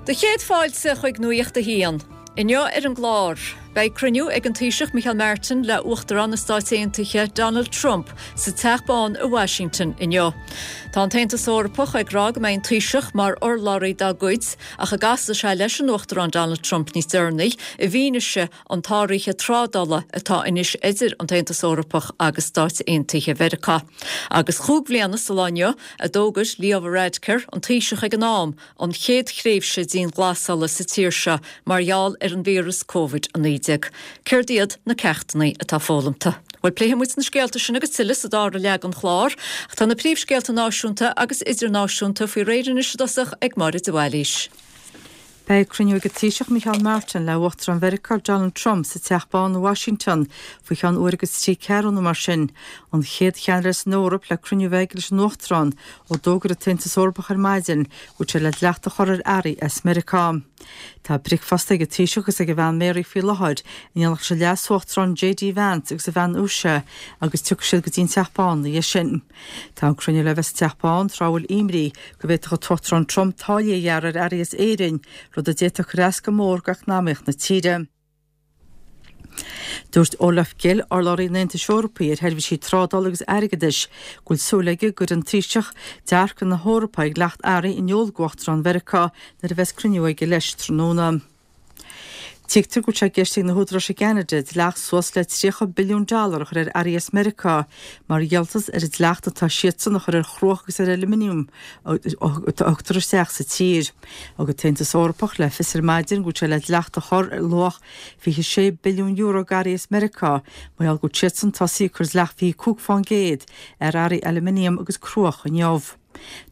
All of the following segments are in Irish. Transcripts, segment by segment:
Do chéad fáilte chuig Nuacht a hAon. Inniu ar an gclár, beidh cruinniú ag an Taoiseach Micheál Martin le Uachtarán na Stáit Aontaithe Donald Trump sa Teach Bán i Washington inniu. Tá an tAontas Eorpach ag rá go mbeidh an Taoiseach mar urlabhraí dá gcuid ach a gcasfaidh sé leis an Uachtarán Donald Trump níos deireanaí i bhfianaise an tsáraithe trádála atá anois idir an tAontas Eorpach agus Stáit Aontaithe Mheiriceá. Agus chúig bhliana sa lá inniu a d'fhógair Leo Varadkar, an Taoiseach ag an am, an chéad thréimhse dianghlasála sa tír seo mar gheall ar an víreas Covid-19. Céard iad na ceachtanna atá foghlamtha? Bhuel, pléifidh muid na scéalta sin agus tuilleadh sa dara leath den chlár. Ach tá na príomhscéalta náisiúnta agus idirnáisiúnta faoi réir anois i dtosach ag Máire de Bhailís. Beidh cruinniú ag an Taoiseach Micheál Martin le Uachtarán Mheiriceá Donald Trump sa Teach Bán i Washington faoi cheann uair agus trí ceathrú nó mar sin, an chéad cheannaire as an Eoraip le cruinniú a bheith aige leis an Uachtarán ó d'fhógair an tAontas Eorpach ar maidin go bhfuil sé le dleacht a chur ar earraí as Meiriceá. Tá bricfeasta ag an Taoiseach agus ag a bhean Mary faoi láthair in éineacht leis an Leas-Uachtarán JD Vance agus a bhean Usha agus tiocfaidh siad go dtí an Teach Bán ina dhiaidh sin. Tá an cruinniú le bheith sa Teach Bán tráth a bhfuil imní go bhféadfadh an tUachtarán Trump táillí a ghearradh ar earraí as Éirinn, rud a d'fhéadfadh cur as go mór d'eacnamaíocht na tíre. Dúirt Olaf Gill, urlabhraí an Aontais Eorpaigh ar sheirbhísí trádála agus airgeadais, go bhfuil súil aige go gcuirfidh an Taoiseach dearcadh na hEorpa ar dhleacht earraí in iúl d'Uachtarán Mheiriceá nuair a bheas cruinniú aige leis tráthnóna. Tuigtear go bhfuil sé i gceist ag na húdaráis i gCeanada dleacht suas le 30 billiún dollar a chur ar earraí as Meiriceá mar dhíoltas ar an dleacht atá siadsan a chur ar chruach agus ar ailuminiam a thugtar isteach sa tír. Thug an tAontas Eorpach le fios ar maidin go bhfuil sé le dleacht a chur ar luach €26 billiún d'earraí as Meiriceá mar gheall go bhfuil siadsan tosaithe ag cur dleacht 25% ar earraí ailuminiam agus cruach inniu.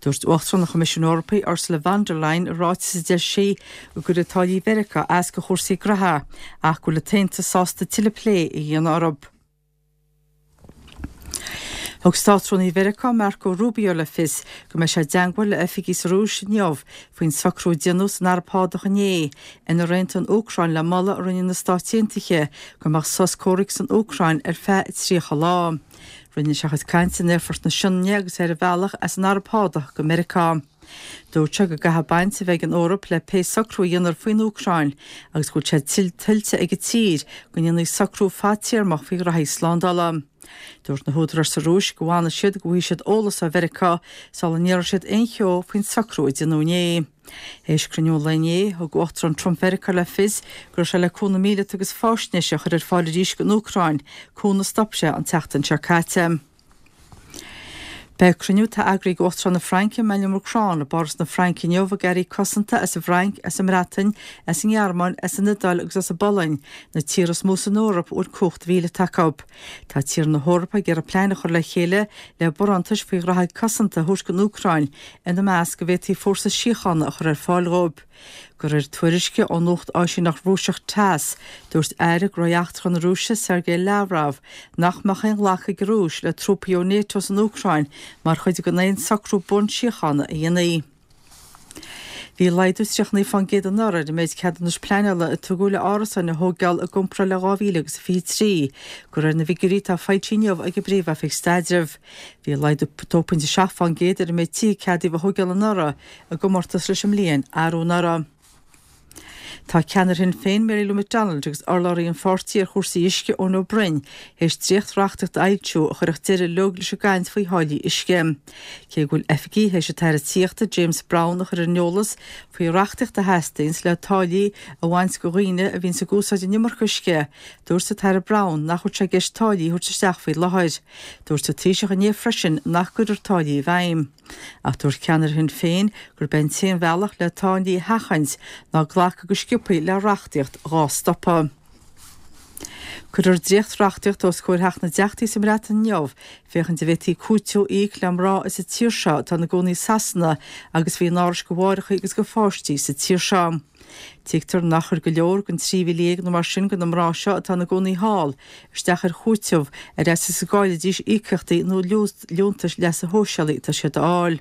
Dúirt Uachtarán an Choimisiúin Eorpaigh, Ursula von der Leyen, i ráiteas a d'eisigh sí go gcuirfidh táillí Mheiriceá as do chúrsaí graithe ach go bhfuil an tAontas sásta tuilleadh plé a dhéanamh orthu. Thug Státrúnaí Mheiriceá, Marco Rubio, le fios go mbeidh sé i dteangmháil le oifigigh sa Rúis inniu faoin socrú a déanadh san Araib Shádach inné inar aontaigh an Úcráin le moladh a rinne na Stáit Aontaithe go mbeadh sos comhraic san Úcráin ar feadh 30 lá. Rinne sé a chuid cainte in Aerfort na Sionainne agus é ar a bhealach as an Araib Shádach go Meiriceá. Dúirt sé go gcaithfidh baint a bheith ag an Eoraip le pé socrú a dhéanfar faoin Úcráin agus go bhfuil sé tuillte ag an tír go ndéanfaí socrú fadtéarmach faoi ghraithí slándála. Dúirt na húdaráis sa Rúis go bhfanfaidh siad go bhfaighidh siad eolas ó Mheiriceá sula ndéarfaidh siad aon cheo faoin socrú a déanadh inné. Théis cruinniú an lae inné, thug Uachtarán Trump Mheiriceá le fios go raibh sé le cúnamh míleata agus faisnéise a chur ar fáil arís don Úcráin, cúnamh a stop sé an tseachtain seo caite. Beidh cruinniú atá eagraithe ag Uachtarán na Fraince, Emmanuel Macron, i bPáras na Fraince inniu ag airí cosanta as an bhFrainc, as an mBreatain, as an nGearmáin, as an Iodáil agus as an bPolainn, na tíortha is mó san Eoraip a bhfuil cumhacht mhíleata acu. Tá tíortha na hEorpa ag iarraidh plean a chur le chéile le barántais faoi ghraithí cosanta a thabhairt don Úcráin, ina measc go bhféadfaí fórsa síochána a chur ar fáil dhóibh. De réir tuairisce ó nuacht áisíneacht Rúiseach Tass, dúirt Aire Gnóthaí Eachtracha na Rúise, Sergei Lavrov, nach mbeadh aon ghlacadh ag an Rúis le trúpaí ó Nato san Úcráin mar chuid den aon socrú buan síochána a dhéanfaí. Bhí laghdú 39% anuraidh ar an méid ceadúnais pleanála a tugadh le árasáin a thóigeáil i gcomparáid le 2023, de réir na bhfigiúirí atá foilsithe inniu ag an bPríomh-Oifig Staidrimh. Bhí laghdú 2.7% ar an méid tithe a ceadaíodh a thóigeáil anuraidh i gcomórtas leis an mbliain arú anuraidh. Tá ceannaire Shinn Féin Mary Lou McDonald agus urlabhraí an pháirtí ar chúrsaí uisce Eoin Ó Broin théis dréacht-reachtaíocht a fhoilsiú a chuirfeadh deireadh uilig leis an gcaint faoi tháillí uisce. Cé go bhfuil oifigigh théis an tAire Tithíochta James Browne a chur ar an eolas faoi reachtaíocht a theastaíonns le táillí a bhaint de dhaoine a bhíonns ag úsáid an iomarca uisce, dúirt an tAire Browne nach bhfuil sé i gceist táillí a thabhairt isteach faoi láthair. Dúirt an Taoiseach inné freisin nach gcuirfear táillí i bhfeidhm. Ach dúirt ceannaire Shinn Féin gurb é an t-aon bhealach le táillí a sheachaint ná glacadh go sciobthaí le reachtaíocht dhá stopadh. Cuirfear dréacht-reachtaíocht os comhair Theach na dTeachtaí sa mBreatain inniu féachaint an bhféadfaí cúiteamh a íoc le mná as an tír seo atá ina gcónaí i Sasana agus a bhí in árais do mháithreacha agus do pháistí sa tír seo. Tuigtear nach chuir go leor den 13,000 nó mar sin de na mná seo atá ina gcónaí thall isteach ar chúiteamh ar fhaitíos go gcaillfidís íocaíochtaí nó liúntais leasa shóisialaigh atá siad a fháil.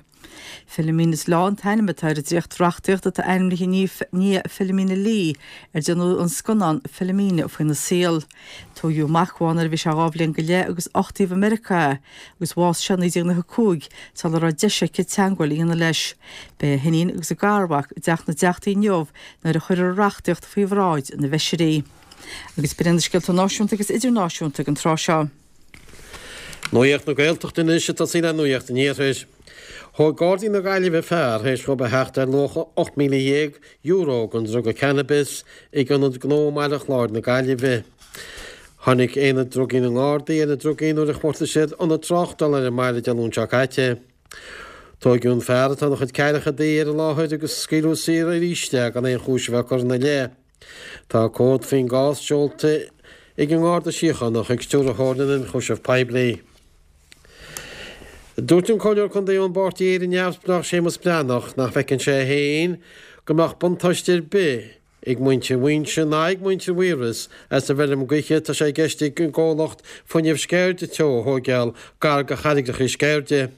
Philomena's Law an t-ainm atá ar an dréacht-reachtaíocht atá ainmnithe i ndiaidh Philomena Lee, ar déanadh an scannán Philomena faoina saol. Tóigeadh amach uaidh nuair a bhí sé 2 bhliain go leith agus uchtaíodh i Meiriceá é agus bhásaigh sé i 1995 sula raibh deis aici teagmháil a dhéanamh leis. Beidh a hiníon agus a garmhac i dTeach na dTeachtaí inniu nuair a chuirfear an reachtaíocht faoi bhráid na bhfeisirí. Agus b'in iad na scéalta náisiúnta agus idirnáisiúnta ag an tráth seo. Nuacht na Gaeltachta anois ag tosaí le Nuacht an Iarthair. Thóg Gardaí na Gaillimhe fear théis dhóibh a theacht ar luach €18,000 den druga cannabis ag ionad gnó i mBaile Chláir na Gaillimhe. Tháinig Aonad Drugaí na nGardaí ar na drugaí nuair a chuartaigh siad ionad tráchtála ar an mbaile Dé Luain seo caite. Tóigeadh an fear atá ina chuid ceathrachaidí ar an láthair agus scaoileadh saor arís é gan aon chúis a bheith curtha ina leith. Tá comhad faoin gcás seolta ag an nGarda Síochána chuig Stiúrthóir na nIonchúiseamh Poiblí. Dúirt an Comhairleoir Contae ón bPáirtí Éire Neamhspleách Séamus Breathnach nach bhfeiceann sé féin go mbeadh buntáiste ar bith ag muintir Mhuighinse ná ag muintir Mhaorais as an bhfeirm gaoithe atá sé i gceist ag an gcomhlacht Fuinneamh Sceirde Teo a thóigeáil gar do charraigreacha Sceirde.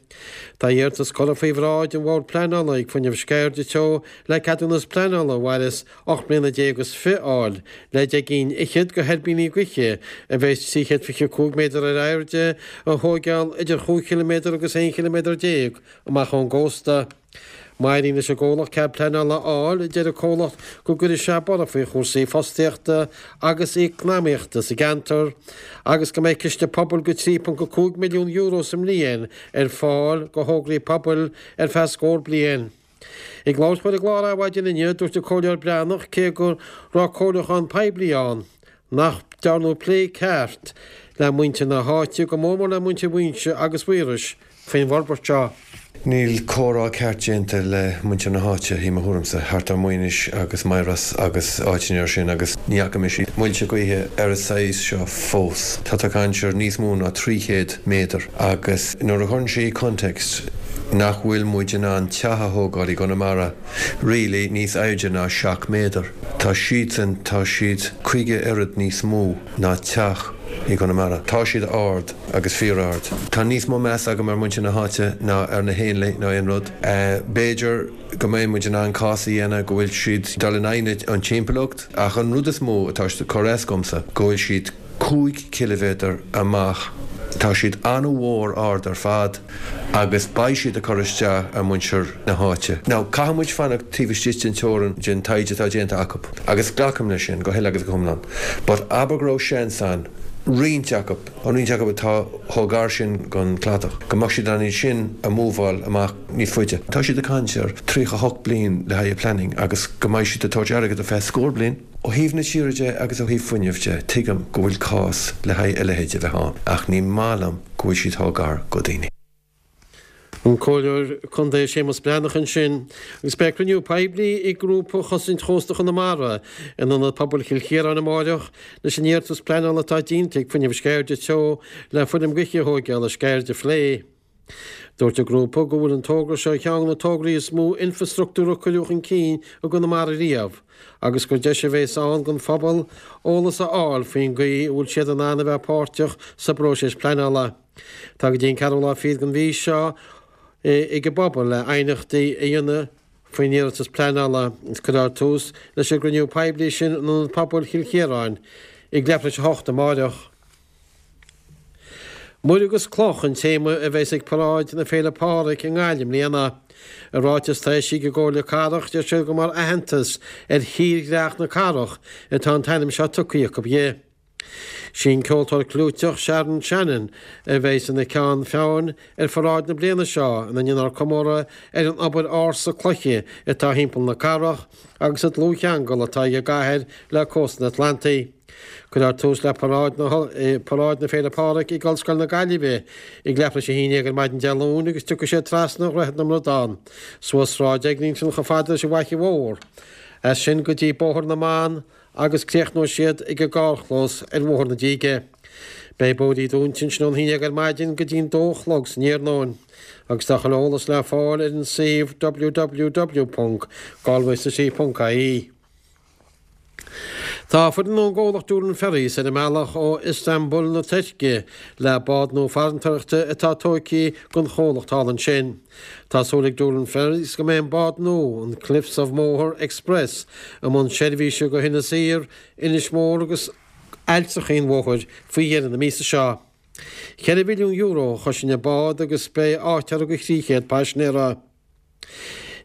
Tá iarratas curtha faoi bhráid an Bhord Pleanála ag Fuinneamh Sceirde Teo le ceadúnas pleanála a mhairfeas 18 mbliana is fi a fháil le 10 gcinn fhichead de thuirbíní gaoithe a bheas 325 méadar ar airde a thóigeáil idir chúig chiliméadar agus 11 chiliméadar amach ón gcósta. Má éiríonn leis an gcomhlacht cead pleanála a fháil, deir an comhlacht go gcuirfidh sé borradh faoi chúrsaí fostaíochta agus eacnamaíochta sa gceantar agus go mbeidh ciste pobail de €3.5 milliún sa mbliain ar fáil do thograí pobail ar feadh scór bliain. Ag labhairt dó ar an gclár Adhmhaidin inniu, dúirt an Comhairleoir Breathnach cé go raibh comhairliúchán poiblí ann, nach ndearnadh plé ceart le muintir na háite, go mór mór le muintir Mhuighinse agus Mhaorais, faoin bhforbairt seo. Níl comhrá ceart déanta le muintir na háite, i mo thuairimse, thart ar Mhuighnis agus Maíros agus áiteanna mar sin agus ní fhaca mise muilte gaoithe ar an saghas seo fós. Tá tú ag caint ar níos mó ná 300 méadar agus nuair a chuireann sé i context nach bhfuil muid in ann teach a thógáil i gConamara really níos airde ná 7 méadar. Tá siadsan, tá siad 50 oiread níos mó ná teach i gConamara. Tá siad ard agus fíor-ard. Tá níos mó meas agam ar muintir na háite ná ar na héanlaith nó aon rud. B'fhéidir go mbeidh muid in ann cás a dhéanamh go bhfuil siad dul in aghaidh an timpeallacht ach an rud is mó atá ag cur as dhomsa go bhfuil siad 5 chiliméadar amach. Tá siad an-mhór ard ar fad agus beidh siad ag cur isteach ar mhuintir na háite. Now, caithfidh muid fanacht taobh istigh den teorainn den taighde atá déanta acu agus glacaim leis sin go huile agus go hiomlán. But abair go raibh seans ann roinnt acu, an roinnt acu atá chomh gar sin don chladach, go mbeadh siad in ann iad sin a mhúbháil amach níos faide. Tá siad ag caint ar 38 bliain le haghaidh planning agus go mbeidh siad ag tabhairt airgead ar feadh scór bliain. Ó thaobh na tíre de agus ó thaobh fuinnimh de, tuigim go bhfuil cás le haghaidh a leithéid a bheith ann, ach ní maith liom go bhfuil siad chomh gar go daoine. An Comhairleoir Contae Séamus Breathnach ansin. Agus beidh cruinniú poiblí ag Grúpa Chosaint Chósta Chonamara in Ionad Pobail Chill Chiaráin amáireach leis an iarratas pleanála atá déanta ag Fuinneamh Sceirde Teo le feirm gaoithe a thóigeáil ar Sceird a phlé. Dúirt an grúpa go bhfuil an togra seo ar cheann de na tograí is mó infreastruchtúir a cuireadh chun cinn i gConamara riamh agus gur deis a bhéas ann don phobal eolas a fháil faoin gcaoi a bhfuil siad in ann a bheith páirteach sa bpróiseas pleanála. Tá go dtí an ceathrú lá fichead den mhí seo ag an bpobal le aighneachtaí a dhéanamh faoin iarratas pleanála agus cuirfear tús leis an gcruinniú poiblí sin in Ionad Pobail Chill Chiaráin ag leathuair tar éis a hocht amáireach. Muir agus Cloch an téama a bheas ag Paráid na Féile Pádraig i nGaillimh i mbliana. I ráiteas atá eisithe ag an gComhairle Cathrach deir siad gur mar aitheantas ar thírdhreach na cathrach atá an t-ainm seo tugtha acu di. Sí an ceoltóir clúiteach Sharon Shannon a bheas ina ceann feadhain ar pharáid na bliana seo ina ndéanfar comóradh ar an obair ársa cloiche atá thimpeall na cathrach agus an dlúthcheangal atá ag an gcathair le cósta an Atlantaigh. Cuirfear tús le Paráid Paráid na Féile Pádraig ag Ollscoil na Gaillimhe ag leathuair tar éis a haon déag ar maidin Dé Luain agus tiocfaidh siad trasna Dhroichead na mBradán, suas Sráid Eglinton chomh fada leis an bhFaiche Mhór, as sin go dtí Bóthar na mBan agus críochnóidh siad ag an gcarrchlós ar Bhóthar na Díge. Beidh bóithrí dúnta ansin ón haon déag ar maidin go dtí'n dó a chlog san iarnóin agus tá chuile eolas le fáil ar an suíomh www.galwaycity.ie. Tá foireann ón gcomhlacht Doolin Ferries ar a mbealach ó Istanbul na Tuirce le bád nua farantóireachta atá tógtha don chomhlacht thall ansin. Tá súil ag Doolin Ferries go mbeidh an bád nua, an Cliffs of Moher Express, i mbun seirbhíse go hInis Oírr, Inis Mór agus Ailltreachaí an Mhothair faoi dheireadh na míosa seo. €4 mhilliún a chosain an bád agus beidh áit uirthi do 300 paisinéara.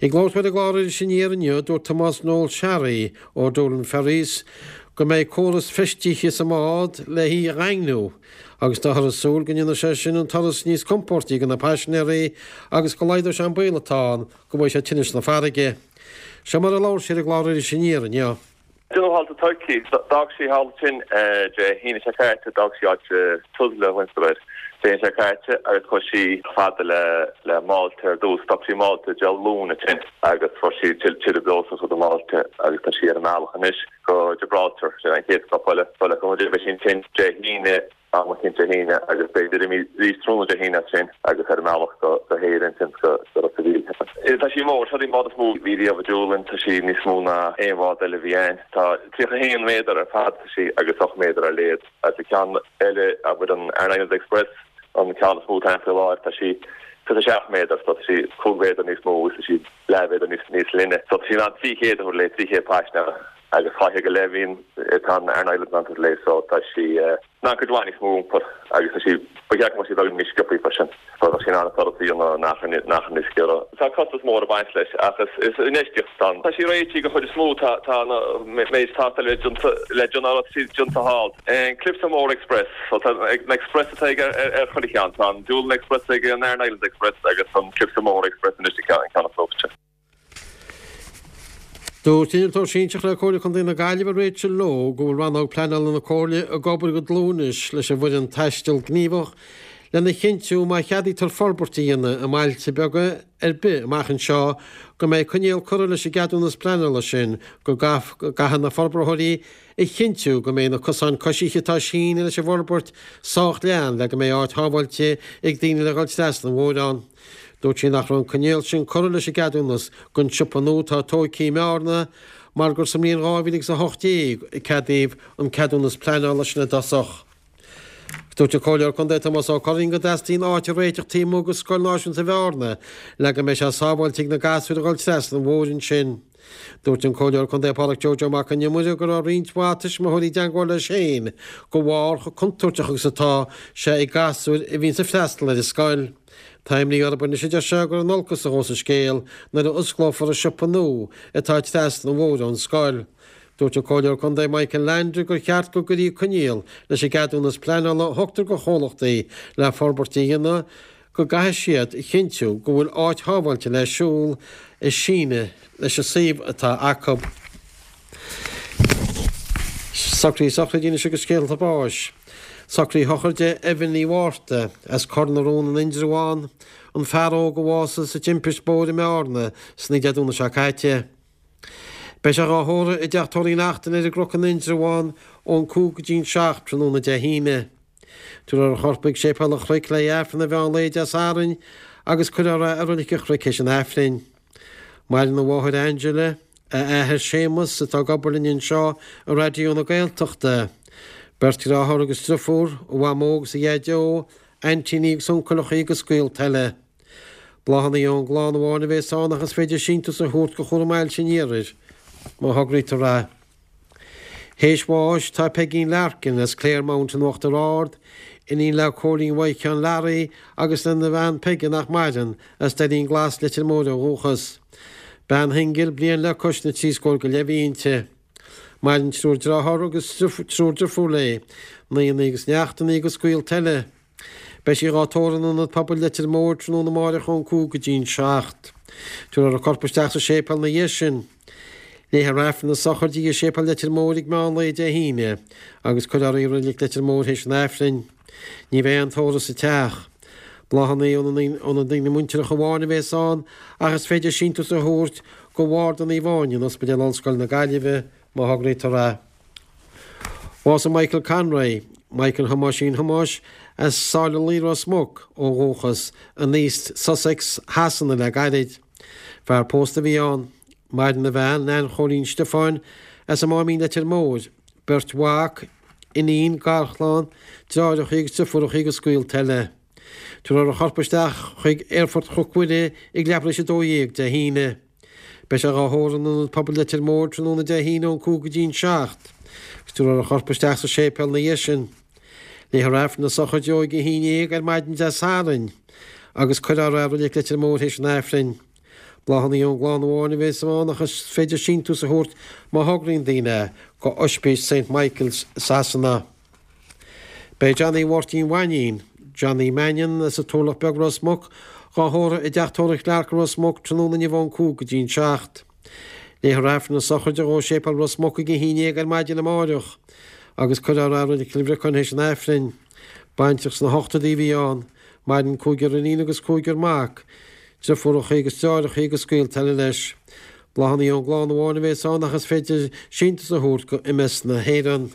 Ag labhairt dó ar an gclár Iris Aniar inniu, dúirt Tomás Noel Sharry ó Doolin Ferries go mbeidh córas feistithe sa mbád le hí a dhaingniú agus táthar ag súil go ndéanfaidh sé sin an turas níos compóirtí do na paisinéirí agus go laghdóidh sé an baol atá ann go bhfaighidh siad tinneas na farraige. Seo mar a labhair sé ar an gclár Iris Aniar inniu. Déanamh thall sa Tuirc. D'fhág sí thall ansin Dé hAoine seo caite, d'fhág sí áit Tuzla a thugtar air, Dé hAoine seo caite agus chuaigh sí fada le Málta ar dtús. Stop sí i Málta Dé Luain ansin agus fuair sí tuilleadh breosla a chur i Málta agus tá sí ar an mbealach anois go Gibraltar, sin an chéad stop eile. So le cúnamh Dé beidh sí ansin Dé hAoine. Am eicínt Dé hAoine agus b'fhéidir arís tráthnóna Dé hAoine as sin agus ar an mbealach go hÉirinn ansin go Ros a' Mhíl. Tá sí mór, seo í an bád is mó a bhí riamh ag Doolin, tá sí níos mó ná aon bhád eile a bhí ann. Tá 31 méadar ar fad tá sí agus 8 méadar ar leithead. Agus an ceann eile, abair an Aran Islands Express, an ceann is mó atá ann faoi láthair, tá sí 27 méadar, so tá sí 5 mhéadar níos mó agus tá sí leathmhéadar níos leithne. So tá sí in ann 300 a thabhairt léi, 300 paisinéara. Agus 200 go leith a bhíonn, atá an Aran Islands in ann tabhairt léi so tá sí in ann cuid mhaith níos mó a iompar agus tá sí, ba cheart go mbeadh sí beagán níos sciobthaí freisin so bheadh sí in ann an turas a dhéanamh in achar, in achar níos giorra. Tá costas mór ag baint leis ach is, is infheistíocht atá ann. Tá sí réitithe den chuid is mó, tá, tá an méid tástáil le déanta, le déanamh, tá sí déanta thall. An Cliffs of Moher Express, so tá an Express atá ag ar, ar chuile cheann, tá an Doolin Express ag an Aran Islands Express agus an Cliffs of Moher Express anois an ceann, an ceann is nuachte. Dúirt Innealtóir Sinsearach le Comhairle Contae na Gaillimhe Rachel Lowe go bhfuil Rannóg Pleanála na Comhairle ag obair go dlúth anois leis an bhfoireann Taisteal Gníomhach lena chinntiú má cheadaítear forbairt a dhéanamh i mbailte beaga ar bith amach anseo go mbeidh coinníoll curtha leis an gceadúnas pleanála sin go gcaithfidh na forbraitheoirí a chinntiú go mbeidh na cosáin coisithe atá sínithe leis an bhforbairt sách leathan le go mbeidh áit shábháilte ag daoine le dhul trasna an bhóthair ann. Dúirt sí nach raibh an coinníoll sin curtha leis an gceadúnas don siopa nua atá tógtha i mBearna mar gur sa mbliain 2018 a ceadaíodh an ceadúnas pleanála sin i dtosach. Dúirt an Comhairleoir Contae Tomás Ó Curraoin go dteastaíonn áit a réiteach taobh amuigh de Scoil Náisiúnta Bhearna le go mbeidh sé sábháilte ag na gasúir a dhul trasna an bhóthair ansin. Dúirt an Comhairleoir Contae Pádraic Joe Joe Mac an Iomaire go raibh roinnt mhaith tuismitheoirí i dteangmháil leis féin de bharr chomh contúirteach agus atá sé ag gasúir a bhíonns ag freastal ar an scoil. Tá imní orthu anois a deir sé gur in olcas a ghabhfas an scéal nuair a osclófar an siopa nua atá trasna an bhóthair ón scoil. Dúirt an Comhairleoir Contae Michael Leainde gur cheart go gcuirfí coinníoll leis an gceadúnas pleanála a thugtar do chomhlachtaí le forbairt a dhéanamh go gcaithfidh siad a chinntiú go bhfuil áit shábháilte le siúl ag síneadh leis an suíomh atá acu. Socruithe sochraide anois agus scéalta báis. Socraithe sochraide Eibhlín Ní Mhárta as Cor na Rón in Indreabhán, an fear óg a bhásaigh sa timpist bóthair i mBearna san oíche Dé Domhnaigh seo caite. Beidh sé dhá thórramh i dTeach Tórraimh Uí Neachtain ar an gCnoc in Indreabhán ón 5 go dtí'n 7 tráthnóna Dé hAoine. Tabharfar a chorp chuig Séipéal an Chnoic le Aifreann an mheán lae Dé Sathairn agus cuirfear é i Roilic an Chnoic théis an Aifrinn. Maireann a mháthair Angela, a athair Séamus atá ag obair linn anseo i Raidió na Gaeltachta, beirt dheartháir agus driofúr, a mhamó agus a dhaideo, aintíní agus uncaileachaí agus gaolta eile. Bláthanna ón gclann amháin a bhéas ann ach is féidir síntiús a thabhairt do Chúram Ailse an Iarthair má thograítear é. Théis bháis tá Peigín Larkin as Claremount in Uachtar Ard, iníon le Cóilín Mhaidhc Sheáin Learaí agus lena bhean Peige nach maireann, as Doirín Glas, Leitir Móir ó dhúchas. Bean shingil, bliain le cois na dtrí scór go leith a bhí inti. Maireann triúr dearthár agus triúr driofúr léi, nianna agus neachtanna agus gaolta eile. Beidh sí dhá tórramh in Ionad Pobail Leitir Móir tráthnóna amáireach ón 5 go dtí'n 7. Tabharfar a corp isteach sa séipéal ina dhiaidh sin. Léifear Aifreann na sochraide i Séipéal Leitir Móir ag meán lae Dé hAoine agus cuirfear í i Reilig Leitir Móir théis an Aifrinn. Ní bheidh aon tórramh sa teach. Bláthanna ó na daoine muinteartha amháin a bhéas ann ach is féidir síntiús a thabhairt go Bharda Naomh Áine in Ospidéal Ollscoile na Gaillimhe má thograítear é. Bhásaigh Michael Conroy, Michael Thomáisín Thomáis, as Sáile Laoi Ros Muc ó dhúchas, in East Sussex Shasana le gairid. Fear pósta a bhí ann. Maireann a bhean, Nan Chóilín Stiofáin, as an Máimín Leitir Móir. Beirt mhac, iníon, garchlann, deartháireacha agus deirfiúracha agus gaolta eile. Tabharfar a chorp isteach chuig Aerfort Chnoc Mhuire ag leathuair tar éis 12 Dé hAoine. Beidh sé dhá thórramh in Ionad Pobail Leitir Móir tráthnóna Dé hAoine ón 5 go dtí an 7 agus tabharfar a chorp isteach sa séipéal ina dhiaidh sin. Léifear Aifreann na sochraide dó ag a 11 ar maidin Dé Sathairn agus cuirfear é i Reilig Leitir Móir théis an Aifrinn. Bláthanna ón gclann amháin a bheas ann ach is féidir síntiús a thabhairt má thograíonn daoine go Oispís St Michael's i Sasana. Beidh Johnny Mháirtín Mhainín, Johnny Mannion, as an Turlach Beag Ros Muc, dhá thórramh i dTeach Tórraimh Clarke i Ros Muc tráthnóna inniu ón 5 go dtí an 7. Léifear Aifreann na sochraide dhó i Séipéal Ros Muc ag a 11 ar maidin amáireach agus cuirfear é i Reilig Chill Bhriocáin théis an Aifrinn. Baintreach sna hochtóidí a bhí ann. Maireann cúigear iníon agus cúigear mac, deirfiúracha agus deartháireacha agus gaolta eile leis. Bláthanna ón gclann amháin a bheas ann ach is féidir síntiús a thabhairt go MS na hÉireann.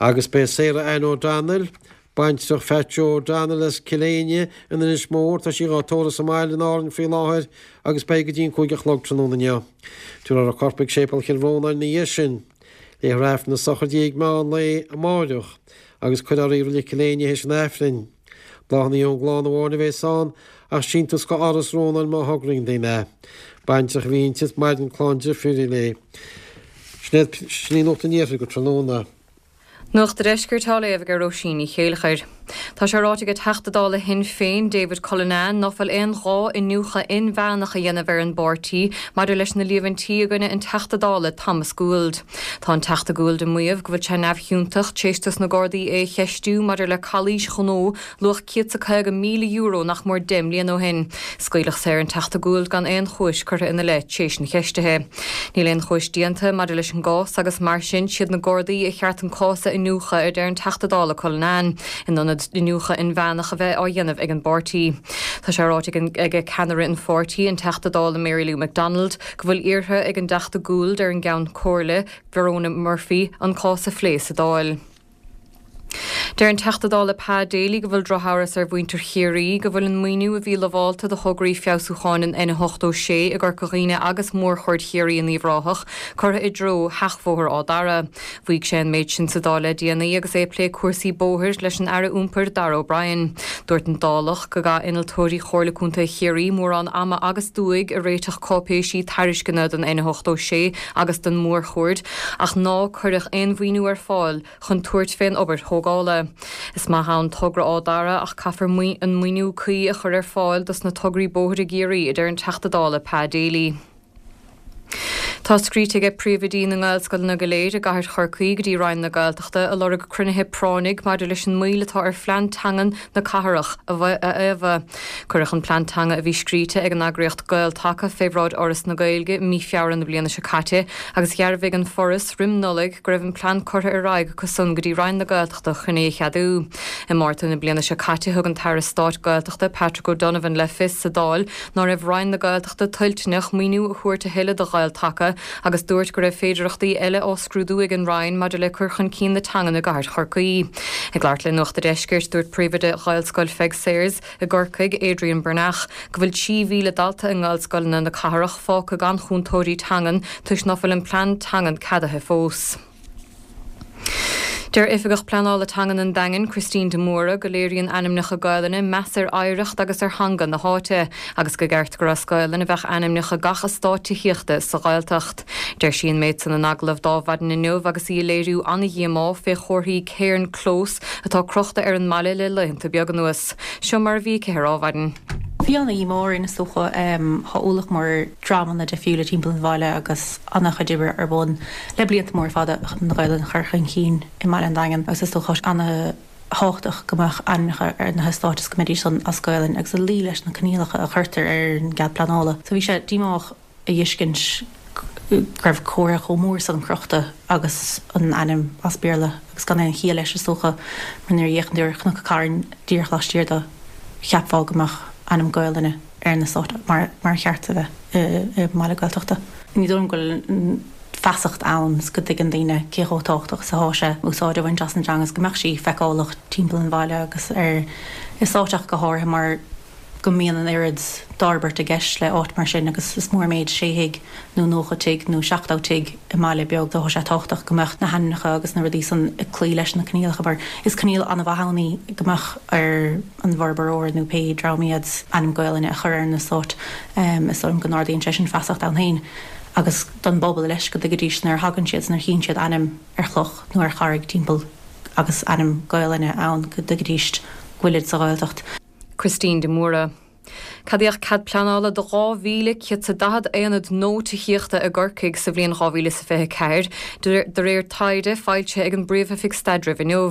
Agus beidh Sarah Ann O'Donnell, baintreach Phat Joe O'Donnell as Cill Éinne in Inis Mór, tá sí dhá tórramh sa mbaile in Árainn faoi láthair agus beidh go dtí an 5 a chlog tráthnóna inniu. Tabharfar a corp ag Séipéal Chill Rónáin ina dhiaidh sin. Léifear Aifreann na sochraide di ag meán lae amáireach agus cuirfear í i Reilig Chill Éinne théis an Aifrinn. Bláthanna ón gclann amháin a bheas ann, ach síntiús go Áras Rónáin má thograíonn daoine. Baintreach a bhí inti, maireann clann deirfiúirí léi. Sin í Nuacht an Iarthair go tráthnóna. Nuacht an Deiscirt á léamh ag Róisín Ní Chéilleachair. Tá sé ráite ag Teachta Dála Shinn Féin, David Cullinane, ná fuil aon ghá iniúchadh inmheánach a dhéanamh ar an bpáirtí maidir leis na líomhaintí i gcoinne an Teachta Dála Thomas Gould. Tá an Teachta Gould ag maíomh go bhfuil sé neamhchiontach tar éis dos na Gardaí é a cheistiú maidir le calaois ghnó luach €150,000 nach mór 10 mbliana ó shin. Scaoileadh saor an Teachta Gould gan aon chúis curtha ina leith tar éis an cheistithe. Níl aon chúis déanta maidir leis an gcás agus mar sin siad na Gardaí a cheart an cás a iniúchadh a deir an Teachta Dála Cullinane, in ionad iniúchadh inmheánach a bheith á dhéanamh ag an bpáirtí. Tá sé ráite ag ceannaire an pháirtí, an Teachta Dála Mary Lou McDonald, go bhfuil iarrtha ag an dTeachta Gould ar an gCeann Comhairle, Verona Murphy, an cás a phlé sa Dáil. Deir an Teachta Dála Pa Daly go bhfuil drochamhras ar mhuintir Chiarraí go bhfuil an maoiniú a bhí lamhálta do thograí feabhsúcháin an N86 i gCorca Dhuibhne agus Mórchuaird Chiarraí in Uíbh Ráthach curtha i dtreo sheachbhóthar Áth Dara. Mhaígh sé an méid sin sa Dáil le déanaí agus é ag plé cúrsaí bóthair leis an Aire Iompair Darragh O'Brien. Dúirt an Dálach go gcaith innealtóirí Chomhairle Contae Chiarraí mórán ama agus dúigh ag réiteach cáipéisí tairisceana don N86 agus don Mhórchuaird ach ná cuireadh aon mhaoiniú ar fáil chun tabhairt fén obair thógála. Is maith ann togra Áth Dara ach caithfear an maoiniú cuí a chur ar fáil dos na tograí bóthair i gCiarraí, a deir an Teachta Dála Pa Daly. Tá scríte aige príomhoidí na nGaelscoileanna go léir i gcathair Chorcaí go dtí Roinn na Gaeltachta ag lorg cruinnithe práinnigh maidir leis an moill atá ar phlean teangan na cathrach a fhaomhadh. Cuireadh an plean teanga a bhí scríte ag an eagraíocht Gael-Taca fé bhráid Fhoras na Gaeilge i mí Feabhra na bliana seo caite agus dhearbhaigh an Foras roim Nollaig go raibh an plean curtha ar aghaidh acu san go dtí Roinn na Gaeltachta chun é a cheadú. I Márta na bliana seo caite thug an tAire Stáit Gaeltachta Patrick O'Donovan le fios sa Dáil ná raibh Roinn na Gaeltachta toilteanach maoiniú a thabhairt a thuilleadh do Ghael-Taca agus dúirt go raibh féidearthachtaí eile á scrúdú ag an Roinn maidir le cur chun cinn na teangan i gcathair Chorcaí. Ag labhairt le Nuacht a' Deiscirt, dúirt príomhoide Ghaelscoil Pheig Sayers i gCorcaigh, Adrian Breathnach, go bhfuil 3,000 dalta i nGaelscoileanna na cathrach fágtha gan chúntóirí teangan toisc ná fuil an plean teangan ceadaithe fós. Deir Oifigeach Pleanála Teangan an Daingin, Christine de Mórdha, go léiríonn ainmneacha Gaelainne meas ar oidhreacht agus ar theanga na háite agus go gceart gur as Gaelainn a bheadh ainmneacha gach eastát tithíochta sa Ghaeltacht. Deir sí an méid san in agallamh d'Adhmhaidin inniu agus í ag léiriú ana-dhíomá fé chomharthaí Cairn Close atá crochta ar an mbaile le laethanta beaga anuas. Seo mar a bhí aici ar Adhmhaidin. Bhí ana-dhíomá orainn is dócha. Tá ualach mór dreamanna difriúla timpeall an bhaile agus ana-chuid oibre ar bun le blianta móra fada chun an Ghaelainn a chur chun cinn i mbaile an Daingin agus is dócha ana-thábhachtach go mbeadh ainmneacha ar na heastáit is go mbeidís san as Gaelainn agus ag luí leis na coinníollacha a chuirtear ar an gcead pleanála. So bhí sé díomách a fheiscint go raibh comhartha chomh mór san crochta agus an ainm as Béarla agus gan aon chiall leis is dócha mar nuair a fhéachann tú ar Chnoc Carn díreach laistiar de cheapfá go mbeadh ainm Gaelainne ar an eastát mar ar cheart a bheith i mbaile Gaeltachta. Ní dóigh liom go bhfuil feasacht ann is go dtuigeann daoine cé chomh tábhachtach is atá sé úsáid a bhaint as an teanga is go mbeadh sí feiceálach timpeall an bhaile agus ar eastáit ach go háirithe mar go. go mbíonn an oiread d'fhorbairt i gceist le áit mar sin agus is mór an méid sé thigh nó 90 tigh nó 70 tigh i mbaile beag so tá sé tábhachtach go mbeadh na hainmneacha agus na rudaí san ag cloí leis na coinníollacha mar is coinníoll an-mhaith ann í go mbeadh ar an bhforbróir nó pé dream iad ainm Gaelainne a chur ar an eastát. Is dóigh liom go n-ardaíonn sé sin feasacht ann féin agus don bpobal leis go dtuigfidís nuair a thagann siad nuair a chíonn siad ainm ar chloch nó ar charraig timpeall agus ainm Gaelainne ann go dtuigfidís go bhfuilid sa Ghaeltacht. Christine de Mórdha. Ceadaíodh cead pleanála do 2,140 aonad nua tithíochta i gCorcaigh sa bhliain 2024, de réir taighde foilsithe ag an bPríomh-Oifig Staidrimh inniu.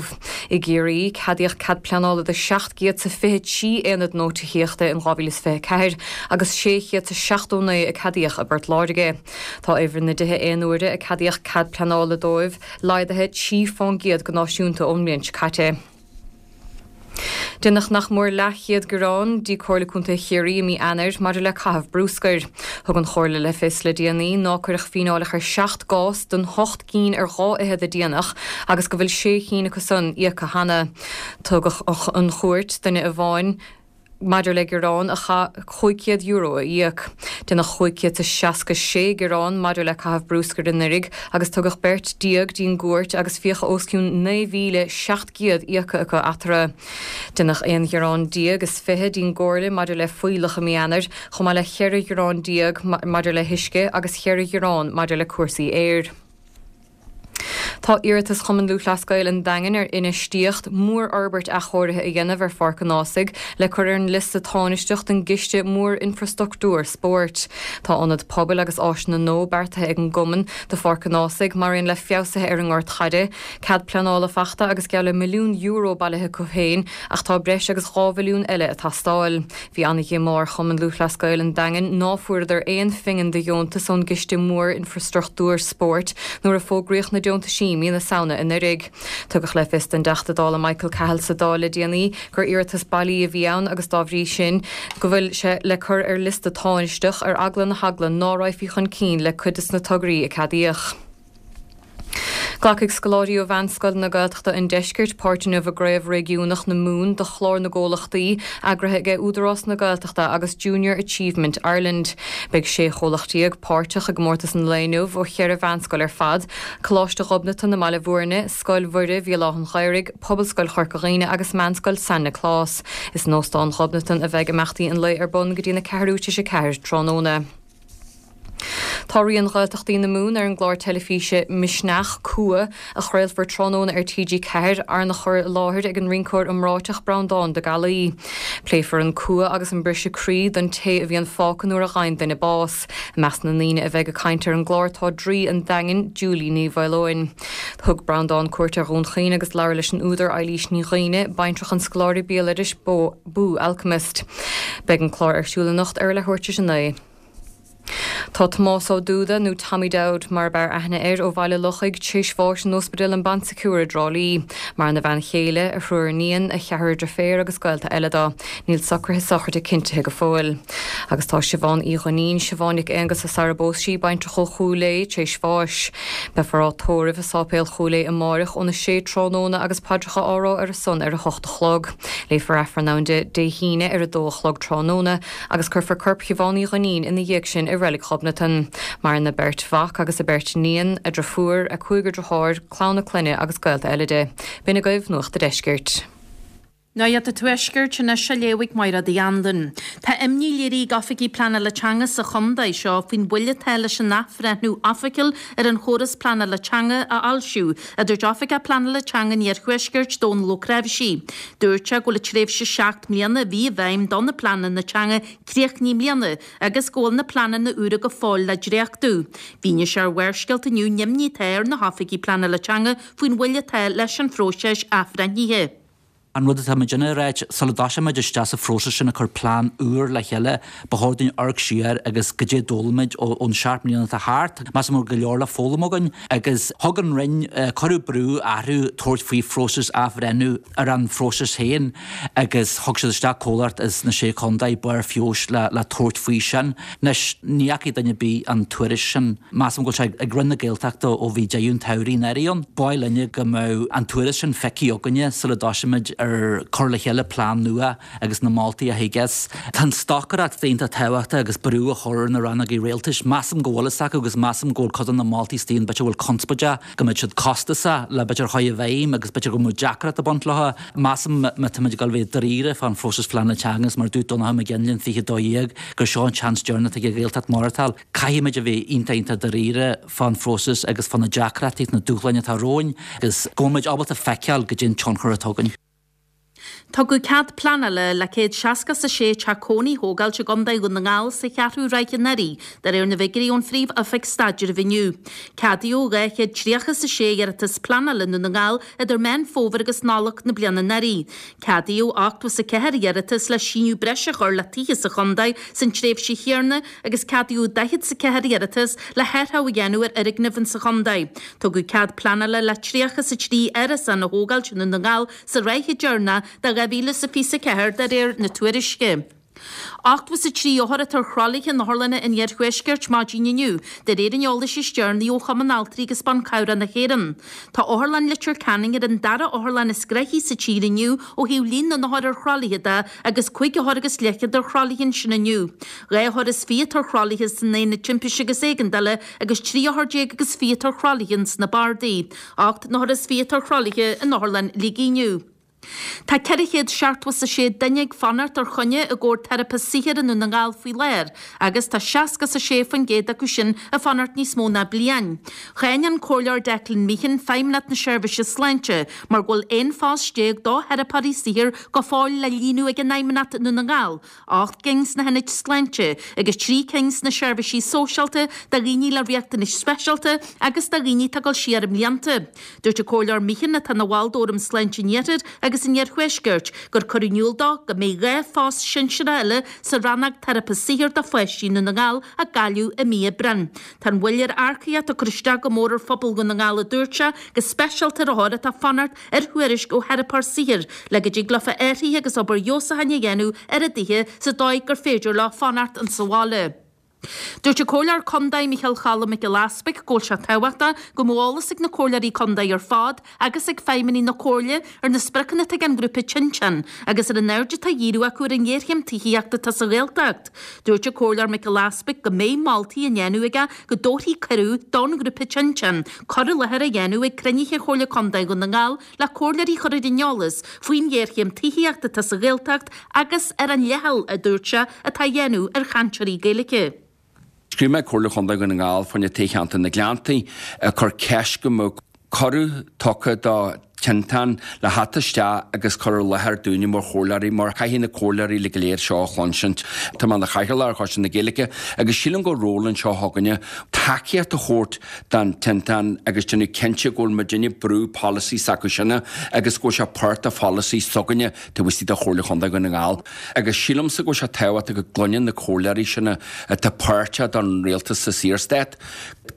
I gCiarraí, ceadaíodh cead pleanála do 723 aonad nua tithíochta in 2024 agus 679 a ceadaíodh i bPort Láirge. Tá uimhir na dtithe aonuaire a ceadaíodh cead pleanála dóibh laghdaithe 3 fán gcéad go náisiúnta ón mbliain seo caite. Déanadh nach mór leathchéad gearán dtí Comhairle Contae Chiarraí i mí Eanáir maidir le caitheamh brúscair. Thug an Chomhairle le fios le déanaí ná cuireadh fíneáil ach ar sheacht gcás den hocht gcinn ar dhá fhichead a déanadh agus go bhfuil sé chinn acu san íoctha cheana. Tugadh chun cúirte duine amháin. maidir le gearán a chaith €500 a íoc. Déanadh 566 gearán maidir le caitheamh brúscair anuraidh agus tugadh beirt déag dtí'n gcúirt agus fiacha os cionn 9,700 íoctha acu eatarthu. Déanadh aon ghearán déag is 20 dtí'n gComhairle maidir le fuílleach i mí Eanáir, chomh maith le cheithre ghearán déag maidir le huisce agus cheithre ghearán maidir le cúrsaí aeir. Tá iarratas Chumann Lúthchleas Gael an Daingin ar infheistíocht mhórfhorbairt athchóirithe a dhéanamh ar Pháirc an Ághasaigh le cur ar an liosta tánaisteach don gCiste Mór-Infreastruchtúir Spóirt. Tá ionad pobail agus áiseanna nua beartaithe ag an gcumann do Pháirc an Ághasaigh, maraon le feabhsuithe ar an ngort chaide. Cead pleanála fachta agus geall le €1 milliún bailithe acu féin ach tá breis agus 2 mhilliún eile ag teastáil. Bhí ana-dhiomá ar Chumann Lúthchleas Gael an Daingin ná fuaireadar aon phingin de dheontas ón gCiste Mór-Infreastruchtúir Spóirt nuair a fógraíodh na deontaisí mí na Samhna anuraidh. Tugadh le fios don dTeachta Dála Michael Cahill sa Dáil le déanaí gur iarratas bailí a bhí ann agus dá bhrí sin go bhfuil sé le cur ar liosta tánaisteach ar eagla na heagla ná raghfaí chun cinn le cuid des na tograí a ceadaíodh. Glacfaidh scoláirí ó Mheánscoileanna Gaeltachta an Deiscirt páirt inniu i gCraobh Réigiúnach na Mumhan do Chlár na gComhlachtaí, eagraithe ag Údarás na Gaeltachta agus Junior Achievement Ireland. Beidh 16 chomhlacht páirteach i gcomórtas an lae inniu ó cheithre mheánscoil ar fad, Coláiste Ghobnatan i mBaile Bhúirne, Scoil Mhuire Bhéal Átha an Ghaorthaidh, Pobalscoil Chorca Dhuibhne agus Meánscoil San Nioclás. Is in Óstán Ghobnatan a bheidh imeachtaí an lae ar bun go dtí na ceathrú tar éis a ceathair tráthnóna. Tá rian Ghaeltachtaí na Mumhan ar an gclár teilifíse Misneach, Cumha, a chraolfar tráthnóna ar TG4, arna chur i láthair ag an rinceoir iomráiteach Breandán De Gallaí. Pléifear an cumha agus an briseadh croí don té a bhíonn fágtha nuair a gheibheann duine bás. I measc na ndaoine a bheidh ag caint ar an gclár tá Draoi an Daingin, Julie Ní Mhaoileoin. Thug Breandán cuairt ar Dhún Chaoin agus labhair leis an údar Eilís Ní Dhuibhne, baintreach an scoláire béaloidis Boo Alchemist. Beidh an clár ar siúl anocht ar a leathuair tar éis a 9. Tá Tomás Ó Dúda, nó Tommy Dowd mar ab fhearr aithne air, ó Bhaile Lochaigh, tar éis bháis in Ospidéal an Bon Secours i dTrá Lí. Maireann a bhean chéile, a thriúr iníon, a cheathrar deirféar agus gaolta eile dó. Níl socruithe sochraide cinntithe go fóill. Agus tá Siobhán Uí Dhuinnín, Siobhán Nic Aonghusa sara bpós sí, baintreach ó Chúil Aodha, tar éis bháis. Beifear á tórramh i Sáipéal Chúil Aodha amáireach óna sé tráthnóna agus paidreacha á rá ar a son ar a hocht a chlog. Léifear Aifreann ann di Dé hAoine ar a dó a chlog tráthnóna agus cuirfear corp Shiobhán Uí Dhuinnín ina dhiaidh sin i Reilig Ghobnatan. Maireann a beirt mhac agus a beirt iníon, a driofúr, a cúigear deartháir, clann a clainne agus gaolta eile di. B'in agaibh Nuacht a' Deiscirt. Nuacht an Tuaiscirt anois á léamh ag Máire Uí Anluain. Tá imní léirithe ag oifigigh pleanála teanga sa chontae seo faoin mhoill atá leis an athbhreithniú oifigiúil ar an chóras pleanála teanga a fhoilsiú, a dúirt Oifigeach Pleanála Teanga an Iarthuaiscirt, Dónal Ó Cnáimhsí. Dúirt sé go bhfuil an tréimhse 7 mbliana a bhí i bhfeidhm do na pleananna teanga críochnaithe i mbliana agus go bhfuil na pleananna úra go fóill le dréachtú. Mhínigh sé ar Bharrscéalta inniu an imní atá ar na hoifigigh pleanála teanga faoin mhoill atá leis an phróiseas athbhreithnithe. An rud atá muidinne a ráit, sula dtoiseoimid isteach sa phróiseas sin ag cur plean úr le chéile, ba chóir dúinn amharc siar agus goidé a d'fhoghlaim muid ón seacht mbliana atá thart. Measaim go bhfuil go leor le foghlaim againn agus thug an Roinn, cuireadh brú orthu tabhairt faoi phróiseas athbhreithniú ar an phróiseas féin agus thug siad isteach comhlacht as na Sé Chontae, Barr Feabhais, le le tabhairt faoi sin. Anois, ní fhacaidh duine ar bith an tuairisc sin. Measaim go bhfuil sé ag Roinn na Gaeltachta ó bhí deireadh an tsamhraidh anuraidh ann. Ba mhaith linne go mbeadh an tuairisc sin feicthe againne sula dtoiseoimid ar. ar cur le chéile plean nua agus na moltaí a thig as. Tá an stocaireacht iontach tábhachtach agus brú a chur ar na rannógaí rialtais. Measaim go bhfuil fhios acu agus measaim go bhfuil cuid de na moltaí istigh ann b'fhéidir a bhfuil conspóideach, go mbeidh siad costasach le b'fhéidir a chur i bhfeidhm agus b'fhéidir go mbeadh deacracht ag baint leo. Measaim má táimid ag dul a bheith dáiríre fán phróiseas phleanála teanga agus mar a dúirt Donnchadh Mac Fhionnghaile in 2012 gur seo an seans deireanach atá ag an Ghaeltacht maireachtáil, caithfimid a bheith iontach iontach dáiríre fán phróiseas agus fá na deacrachtaí agus na dúshláin atá romhainn agus go bhfuil muid ábalta feiceáil goidé an tionchar atá againn. Tugadh cead pleanála le 166 teach cónaí a thógáilt i gContae Dhún na nGall sa cheathrú ráithe anuraidh, de réir na bhfigiúirí ón Phríomh-Oifig Staidrimh inniu. Ceadaíodh 236 iarratas pleanála i nDún na nGall idir Meán Fómhair agus Nollaig na bliana anuraidh. Ceadaíodh 84 iarratas le síneadh breise a chur le tithe sa chontae san tréimhse chéanna agus ceadaíodh 44 iarratas le hathrú a dhéanamh ar fhoirgnimh insa chontae. Tugadh cead pleanála le 33 árasán a thógáilt i nDún na nGall sa ráithe deireanach de 2024 de réir na tuairisce. 83 othar atá ar thralaithe in otharlanna an iarthuaiscirt maidin inniu, de réir an eolais is deireanaí ó Chumann Altraí agus Ban Cabhrach na hÉireann. Tá Otharlann Leitir Ceanainn ar an dara otharlann is gnoithí sa tír inniu ó thaobh líon na n-othar ar thralaithe de agus 5 othar agus leathchéad ar thralaithe ansin inniu. 2 othar is fiche atá ar thralaithe san Aonad Timpiste agus Éigeandála agus 13 othar agus fiche atá ar thralaithe ins na bardaí. 8 n-othar is fiche atá ar thralaithe in Otharlann Shligigh inniu. Tá 476 duine ag fanacht ar choinne i gcomhair teiripe saothair i nDún na nGall faoi láthair agus tá 66% acu sin ag fanacht níos mó ná bliain. Cháin an Comhairleoir Declan Meehan Feidhmeannacht na Seirbhíse Sláinte mar go bhfuil 11 phost do theiripeoirí saothair go fóill le líonadh ag an Fheidhmeannacht i nDún na nGall 8 gcinn sna hionaid sláinte agus 3 cinn sna seirbhísí sóisialta do dhaoine le riachtanais speisialta agus do dhaoine atá ag dul siar i mblianta. Dúirt an Comhairleoir Meehan, atá ina bhall d'Fhóram Sláinte an Iarthair agus an Iarthuaiscirt, gur cuireadh in iúl dó go mbeidh 2 phost sinsearach eile sa rannóg teiripe saothair do pháistí i nDún na nGall á gcailleadh i mí Aibreáin. Tá an mhoill ar earcaíocht ag cur isteach go mór ar phobal Dhún na nGall a dúirt sé, go speisialta ar othair atá ag fanacht ar thuairisc ó theiripeoir saothair le go dtig leofa athruithe agus obair fheabhsúcháin a dhéanamh ar a dtithe sa dóigh gur féidir leo fanacht insa bhaile. Dúirt an Comhairleoir Contae Micheál Cholm Mac Giolla Easpaig go bhfuil sé tábhachtach go mbeadh eolas ag na Comhairleoirí Contae ar fad agus ag feidhmeannaigh na Comhairle ar na spriocanna atá ag an ngrúpa Tinteán agus ar an aird atá á dhíriú acu ar an ngéarchéim tithíochta atá sa Ghaeltacht. Dúirt an Comhairleoir Mac Giolla Easpaig go mbeidh moltaí á ndéanamh aige go dtabharfaí cuireadh don ghrúpa Tinteán cur i láthair a dhéanamh ag cruinnithe Chomhairle Contae Dhún na nGall le comhairleoirí a chur ar an eolas faoin ghéarchéim tithíochta atá sa Ghaeltacht agus ar an leithcheal, a dúirt sé, atá á dhéanamh ar chainteoirí Gaeilge. Scríobh mé Comhairle Chontae Dhún na nGall fá choinne toghcheantar na Gleanntaí ag cur ceist go mbeadh cuireadh tugtha do Tinteán le theacht isteach agus cur i láthair dúinne mar chomhairleoirí mar caithfidh na comhairleoirí uilig go léir seo a chluinsint. Tá mé ina chathaoirleach ar Choiste na Gaeilge agus sílim go bhfuil ról anseo againne tacaíocht a thabhairt don Tinteán agus déanamh cinnte go bhfuil muidinne ag brú polasaí s'acu sinne agus go bhfuil sé páirt de pholasaí s'againne taobh istigh de Chomhairle Chontae Dhún na nGall. Agus sílimse go bhfuil sé tábhachtach go gcluineann na comhairleoirí sinne atá páirteach don rialtas sa Saorstát,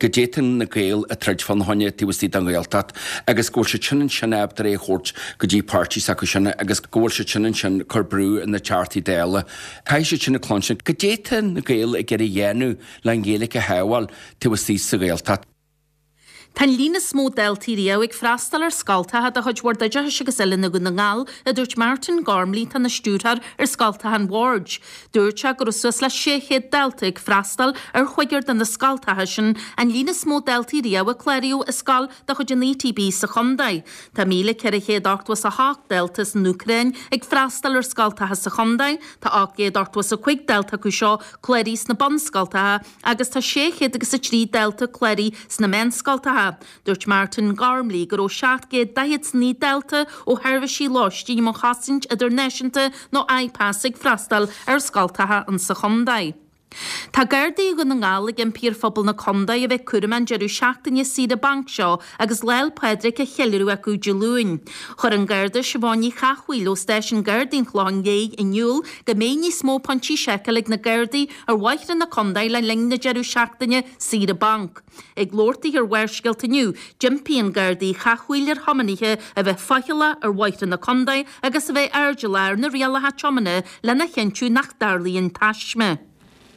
goidé tá na Gaeil ag troid fána choinne taobh istigh den Ghaeltacht agus go bhfuil siad sin ansin ábalta é a thabhairt go dtí páirtí s'acu sin agus go bhfuil siad sin ansin cur brú ar na Teachtaí Dála. Caithfidh siad sin a chluinstin goidé tá na Gaeil ag iarraidh a dhéanamh le an Ghaeilge a shábháil taobh istigh sa Ghaeltacht. Tá an líon is mó daltaí riamh ag freastal ar scoltacha de chuid Bhord Oideachais agus Oiliúna Dhún na nGall, a dúirt Martin Gormley, atá ina stiúrthóir ar scoltacha an Bhoird. Dúirt sé go raibh suas le 600 dalta ag freastal ar chúigear de na scoltacha sin, an líon is mó daltaí riamh a cláraíodh i scoil de chuid an ETB sa chontae. Tá 1,488 dalta as an Úcráin ag freastal ar scoltacha sa chontae, tá 885 dalta acu seo cláraithe sna bunscoltacha agus tá 603 dalta cláraithe sna meánscoltacha. Dúirt Martin Gormley go raibh 749 dalta ó sheirbhísí lóistín um chosaint idirnáisiúnta nó IPAS ag freastal ar scoltacha insa chontae. Tá Gardaí Dhún na nGall ag impí ar phobal na contae a bheith cúramach an deireadh seachtaine saoire bainc seo agus Lá 'le Pádraig á cheiliúradh acu Dé Luain. Chuir an Garda Siobhán Ní Chathmhaoil ó Stáisiún Gardaí an Chlocháin Léith in iúl go mbeidh níos mó pointí seiceála ag na Gardaí ar bhóithre na contae le linn na deireadh seachtaine saoire bainc. Ag labhairt di ar Bharrscéalta inniu, d'impigh an Garda Uí Chathmhaoil ar thiománaithe a bheith faichilleach ar bhóithre na contae agus a bheith airdeallach ar na rialacha tiomána lena chinntiú nach dtarlaíonn taisme.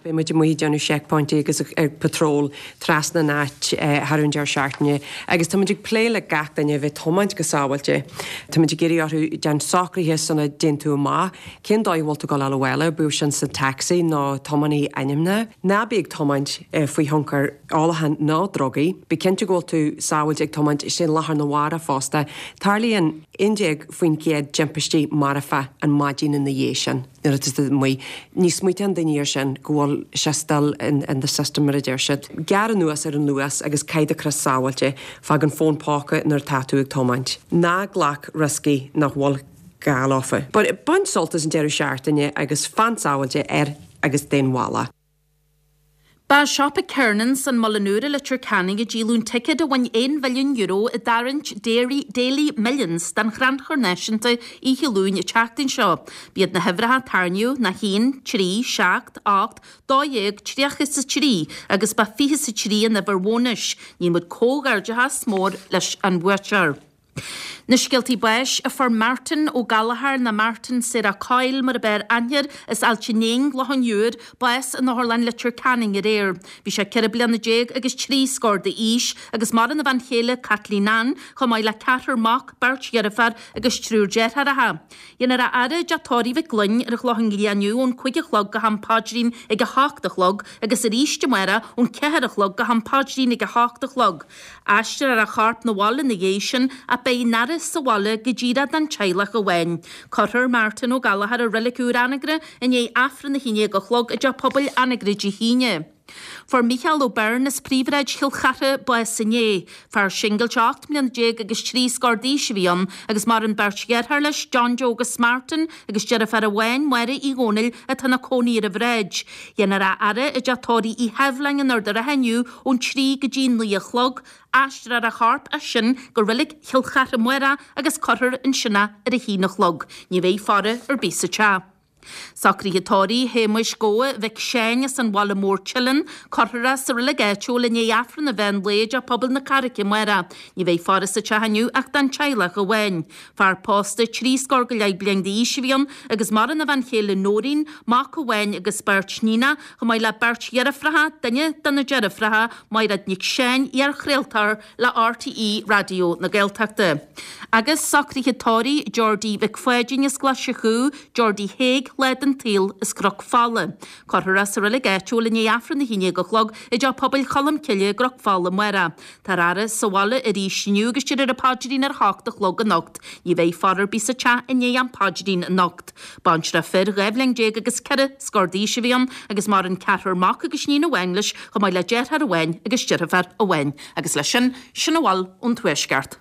Beidh muid amuigh ag déanamh seicphointí agus ag patrol trasna an áit thar an deireadh seachtaine agus tá muid ag plé le gach duine a bheith tiomáint go sábháilte. Tá muid ag iarraidh orthu déan socruithe sula dtéann tú amach, cén dóigh a bhfuil tú ag dul abhaile, bíodh sin sa taxi nó tiománaí ainmnithe. Ná bí ag tiomáint faoi thionchar ólacháin ná drugaí. Bí cinnte go bhfuil tú sábháilte ag tiomáint ar lá arna mhárach fosta. Tarlaíonn 11% dtimpistí marfa an maidin ina dhiaidh sin. Nuair atá tú amuigh, ní smaoitíonn daoine air sin go bhfuil sé still in the system mar a deir siad. Gearr anuas ar an luas agus caith do chrios sábháilte, fág an fón póca nuair atá tú ag tiomáint. Ná glac rioscaí nach bhfuil gá leofa. But bain sult as an deireadh seachtaine agus fan sábháilte ar agus den bhealach. Ba siopa Kernan's an Muileann Úr i Leitir Ceanainn a díoladh an ticéad a bhain €1 mhilliún i dtarraingt Daily Millions don Chrannchur Náisiúnta oíche Luain an tseachtain seo. B'iad na huimhreacha a tarraingíodh ná 1, 3, 7, 8, 12, 30 is 3 agus ba 23 an uimhir bhónais. Ní muid comhghairdeachas mór leis an bhuaiteoir. Na scéaltaí báis a fuair Martin Ó Gallchóir nó Martin Sarah Coyle mar ab fhearr aithne air as Ailt an Éin, Loch an Iúir, bás in Otharlann Leitir Ceanainn aréir. Bhí sé 14 bliana agus 3 scór d'aois agus maireann a bhean chéile Kathleen Ann chomh maith le ceathrar mac, beirt dheirféar agus triúr deartháireacha. Dhéanfar a fhaire i dTeach Tórraimh Mhic Gloinn ar an Chlochán Liath inniu ón 5 a chlog go ham paidrín ag 8 a chlog agus arís amárach ón 4 a chlog go ham paidrín ag 8 a chlog. Aistreofar a chorp 'na bhaile ina dhiaidh sin ach beidh an fhaire sa bhaile go díreach don teaghlach amháin. Cuirfear Martin Ó Gallchóir i Reilig Úr Anagaire i ndiaidh Aifreann 11 a chlog i dTeach Pobail Anagaire Dé hAoine. Fuair Mícheál Ó Beirn as Príomhshráid Chill Chartha bás inné. Fear singilte 18 mbliana agus 3 scór d'aois a bhí ann agus maireann beirt dheartháir leis, John Joe agus Martin, agus deirfiúr amháin, Máire Uí Dhónaill, atá ina cónaí ar an bhráid. Dhéanfar a fhaire i dTeach Tórraimh Uí Sheibhleáin in Ard an Rátha inniu ón 3 go dtí 9 a chlog, aistreofar a chorp as sin go Reilig Chill Chartha amárach agus cuirfear ansin é ar a haon a chlog. Ní bheidh faire ar bith sa teach. Socruithe tórraimh Shéamuis Gobha Mhic Seáin as an Bhaile Mór Teileann, cuirfear é sa reilig áitiúil i ndiaidh Aifreann an mheán lae i dTeach Pobail na Carraice amárach. Ní bheidh faire sa teach inniu ach don teaghlach amháin. Fear pósta, 30 scór go leith bliain d'aois a bhí ann agus maireann a bhean chéile Nóirín, mac amháin agus beirt níonach, chomh maith le beirt dheirfiúracha, duine de na deirfiúracha, Maighread Nic Seáin, iar-chraoltóir le RTÉ Raidió na Gaeltachta. Agus socruithe tórraimh Geordie Mhic Pháidín as Glaise Chú, Geordie Thaidhg, lá den tsaol, as Cnoc Fola. Cuirfear é sa reilig áitiúil i ndiaidh Aifreann 11 a chlog i dTeach Pobail Cholm Cille i gCnoc Fola amárach. Táthar á fhaire sa bhaile arís inniu agus déarfar an paidrín ar a hocht a chlog anocht. Ní bheidh faire ar bith sa teach i ndiaidh an phaidrín anocht. Baintreach fir, 12 bhliain agus 4 scór d'aois a bhí ann agus maireann ceathrar mac agus iníon amháin leis chomh maith le deartháir amháin agus deirfiúr amháin. Agus leis sin, sin a bhfuil ón Tuaisceart.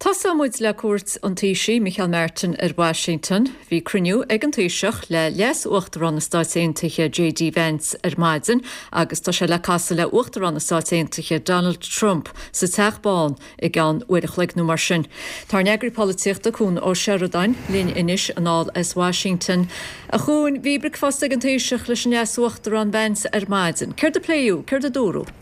Tosóidh muid le cuairt an Taoisigh, Micheál Martin, ar Washington. Bhí cruinniú ag an Taoiseach le Leas-Uachtarán na Stáit Aontaithe JD Vance ar maidin agus tá sé le casadh le Uachtarán na Stáit Aontaithe Donald Trump sa Teach Bán i gceann uair a chloig nó mar sin. Tá ár n-eagraí polaitíochta Cuan Ó Seireadáin linn anois anall as Washington. A Chuain, bhí bricfeasta ag an Taoiseach leis an Leas-Uachtarán Vance ar maidin. Céard a pléadh? Céard a dúradh?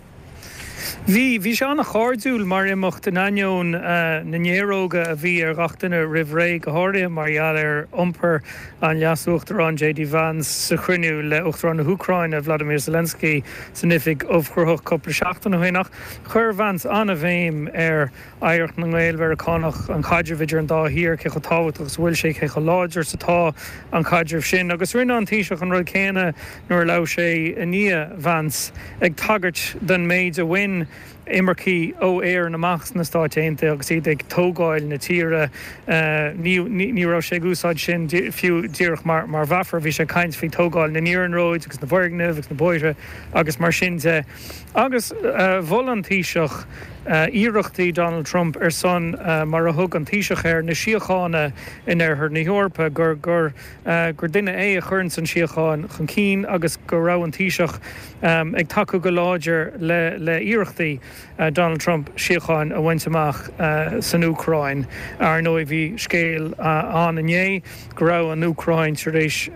Bhí. Bhí sé an-chairdiúil mar imeacht in ainneoin na néaróga a bhí ar ghach duine roimh ré, go háirithe mar gheall ar iompar an Leas-Uachtaráin JD Vance sa chruinniú le Uachtarán na hÚcráine, Vladimir Zelensky, san Oifig Ubhchruthach cúpla seachtain ó shin. Ach chuir Vance an-bhéim ar oidhreacht na nGael-Mheiriceánach, an caidreamh idir an dá thír, cé chomh tábhachtach is a bhfuil sé, cé chomh láidir is atá an caidreamh sin. Agus rinne an Taoiseach an rud céanna nuair a labhair sé i ndiaidh Vance, ag tagairt don méid a bhain imircigh ó Éirinn amach sna Stáit Aontaithe agus iad ag tógáil na tíre. Ní raibh sé ag úsáid sin fiú díreach mar mheafar, bhí sé ag caint faoi tógáil na n-iarnróid agus na bhfoirgneamh agus na bóithre agus mar sin de. Agus mhol an Taoiseach iarrachtaí Donald Trump ar son, mar a thug an Taoiseach air, na síochána in oirthear na hEorpa, gur gur duine é a chuireanns an síocháin chun cinn agus go raibh an Taoiseach ag tacú go láidir le iarrachtaí. Donald Trump síocháin a bhaint amach san Úcráin. Ar ndóigh bhí scéal ann inné go raibh an Úcráin tar éis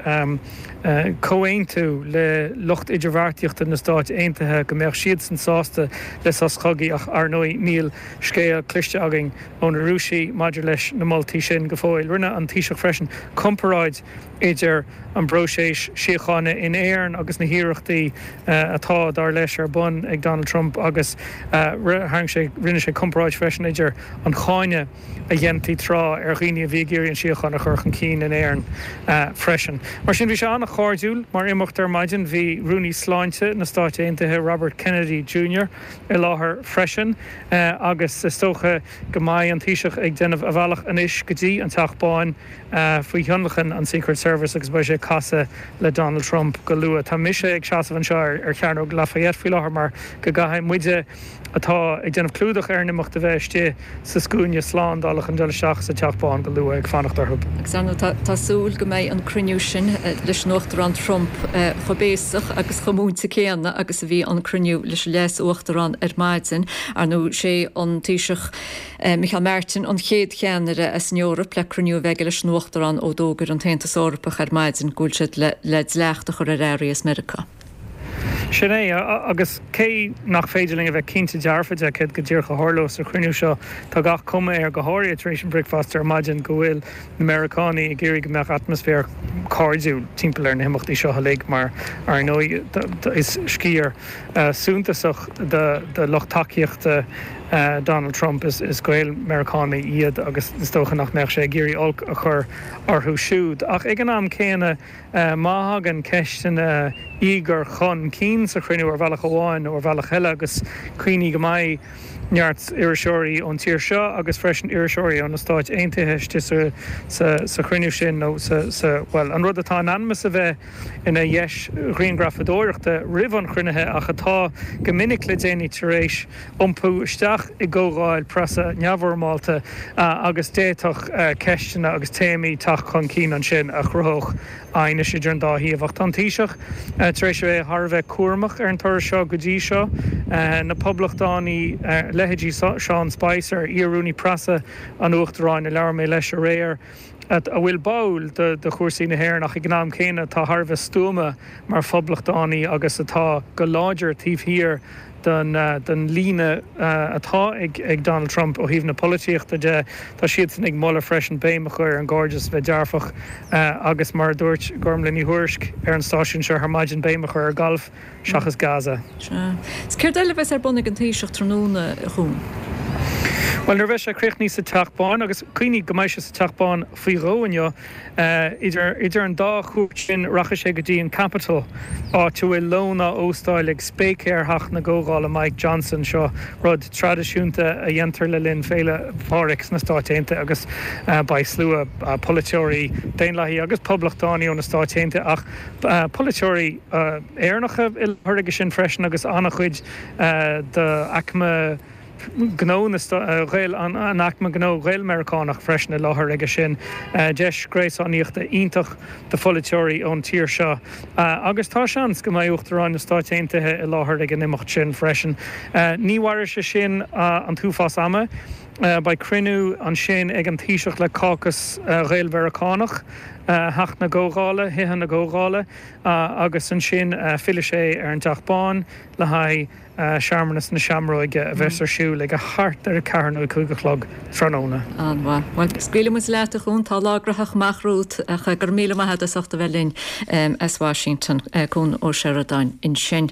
comhaontú le lucht idirbheartaíochta na Stáit Aontaithe go mbeadh siadsan sásta le sos cogaidh ach ar ndóigh níl scéal cloiste againn ó na Rúisigh maidir leis na moltaí sin go fóill. Rinne an Taoiseach freisin comparáid idir an bpróiseas síochána in Éirinn agus na hiarrachtaí atá, dar leis, ar bun ag Donald Trump agus tharraing sé, rinne sé comparáid freisin idir an cáineadh a dhéantaí tráth ar dhaoine a bhí ag iarraidh an síocháin a chur chun cinn in Éirinn freisin. Mar sin, bhí sé an-chairdiúil mar imeacht ar maidin. Bhí Rúnaí Sláinte na Stáit Aontaithe, Robert Kennedy Junior, i láthair freisin agus is dócha go mbeidh an Taoiseach ag déanamh a bhealach anois go dtí an Teach Bán faoi thionlacan an Secret Service agus beidh sé ag casadh le Donald Trump go luath. Tá mise ag seasamh anseo ar Chearnóg Lafayette faoi láthair mar go gcaithfidh muide atá ag déanamh clúdach ar an imeacht a bheith istigh sa scuaine slándála chun dul isteach sa Teach Bán go luath ag fanacht orthu. Agus ar ndóigh tá súil go mbeidh an cruinniú sin leis an Uachtarán Trump chomh béasach agus chomh múinte céanna agus a bhí an cruinniú leis an Leas-Uachtarán ar maidin. Ar ndóigh sé an Taoiseach Micheál Martin an chéad cheannaire as an Eoraip le cruinniú a bheith aige leis an Uachtarán ó d'fhógair an tAontas Eorpach ar maidin go bhfuil siad le dleacht a chur ar earraí as Meiriceá. Sin é, agus cé nach féidir linn a bheith cinnte dearfa de céard go díreach a tharlóidh sa chruinniú seo, tá gach cuma air, go háirithe tar éis an bhricfeasta ar maidin, go bhfuil na Meiriceánaigh ag iarraidh go mbeadh atmaisféar cairdiúil timpeall ar na himeachtaí seo uilig mar, ar ndóigh, is sciar suntasach de lucht tacaíochta Donald Trump, is Gael-Mheiriceánaigh iad agus is dócha nach mbeadh sé ag iarraidh olc a chur orthu siúd. Ach ag an am céanna, má thagann ceisteanna íogair chun cinn sa chruinniú ar bhealach amháin nó ar bhealach eile, agus cuimhnigh go mbeidh neart iriseoirí ón tír seo agus freisin iriseoirí ó na Stáit Aontaithe istigh sa chruinniú sin nó sa, bhuel, an rud atá in ainm is a bheith ina dheis ghrianghrafadóireachta roimh an chruinnithe ach atá go minic le déanaí tar éis iompú isteach i gcomhdháil preasa neamhfhoirmeálta agus d'fhéadfadh ceisteanna agus téamaí teacht chun cinn ansin a chruthódh aighneas idir an dá thaobh. Ach tá an Taoiseach tar éis a bheith thar a bheith cúramach ar an turas seo go dtí seo. Na Poblachtánaigh, leithéidí Sean Spicer, iar-rúnaí preasa an Uachtaráin a labhair mé leis aréir, a bhfuil báúil do chúrsaí na hÉireann ach ag an am céanna atá thar a bheith stuama mar phoblachtánaí agus atá go láidir taobh thiar den líne atá ag Donald Trump ó thaobh na polaitíochta de. Tá siadsan ag moladh freisin béim a chur ar an gcairdeas, a bheith dearfach agus mar a dúirt Gormlaith Ní Thuairisg ar an stáisiún seo ar maidin, béim a chur ar ghalf. seachas Gaza. Sea. Is céard eile a bheas ar bun ag an Taoiseach tráthnóna, a Chuain? Bhuel, nuair a bheas sé críochnaithe sa Teach Bán, agus cuimhnigh go mbeidh sé sa Teach Bán faoi dhó inniu, idir idir an dá chuairt sin rachaidh sé go dtí an Capitol, áit a bhfuil lón á óstáil ag spéicéir Theach na gComhdhála Mike Johnson. Seo rud traidisiúnta a dhéantar le linn Féile Phádraig sna Stáit Aontaithe agus beidh slua polaiteoirí Daonlathaí agus Poblachtánaí ó na Stáit Aontaithe ach polaiteoirí Éireannacha i láthair aige sin freisin agus an-chuid d'aicme gnó na Gael, an aicme gnó Ghael-Mheiriceánach freisin i láthair aige sin. Deis gréasánaíochta iontach do pholaiteoirí ón tír seo agus tá seans go mbeidh Uachtarán na Stáit Aontaithe i láthair ag an imeacht sin freisin. Ní mhairfidh sé sin an t-uafás ama. Beidh cruinniú ansin ag an Taoiseach le Cácas Ghael-Mheiriceánach Theach na gComhdhála, Thithe na gComhdhála, agus ansin fillfidh sé ar an dTeach Bán le haghaidh searmanas na Seamróige a bheas ar siúl ag a thart ar 4 nó 5 a chlog tráthnóna. An-mhaith. Bhuel, scaoilfidh muid leat, a Chuain, tá lá graitheach amach romhat ach go raibh míle maith agat as ucht a bheith linn as Washington. Cuan Ó Seireadáin ansin.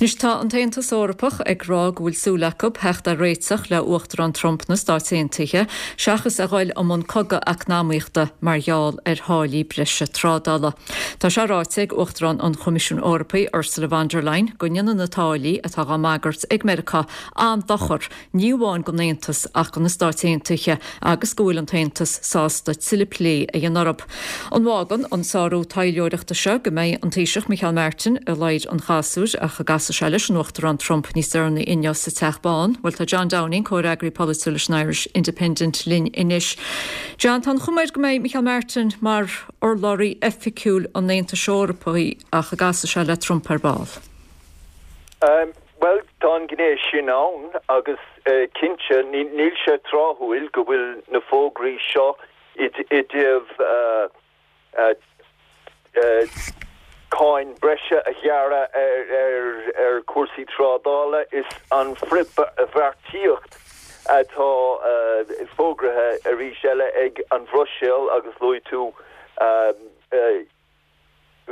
Anois tá an tAontas Eorpach ag rá go bhfuil súil acu theacht ar réiteach le Uachtarán Trump na Stáit Aontaithe seachas a ghoil i mbun cogadh eacnamaíochta mar gheall ar tháillí breise trádála. Tá sé ráite ag Uachtarán an Choimisiúin Eorpaigh Ursula von der Leyen go ndéanann na táillí atá dhá mbagairt ag Meiriceá an-dochar ní amháin don Aontas ach do na Stáit Aontaithe agus go bhfuil an tAontas sásta tuilleadh plé a dhéanamh orthu. An bhfágann an sárú taidhleoireachta seo go mbeidh an Taoiseach Micheál Martin i ladhar an chasúir ach go gcasfaidh sé leis an Uachtarán Trump níos deireanaí inniu sa Teach Bán? Bhuel tá John Downing, comhfhreagraí polaitiúil leis an Irish Independent linn anois. John, tá an chuma air go mbeidh Micheál Martin mar urlabhraí oifigiúil an Aontais Eorpaigh ach go gcasfaidh sé le Trump ar ball. Bhuel. Tá an ghné sin ann agus cinnte níl sé tráthúil go bhfuil na fógraí seo i dtaobh cáin breise a ghearradh ar chúrsaí trádála is an frithbheartaíocht atá fógraithe arís eile ag an Bhruiséil agus luaigh tú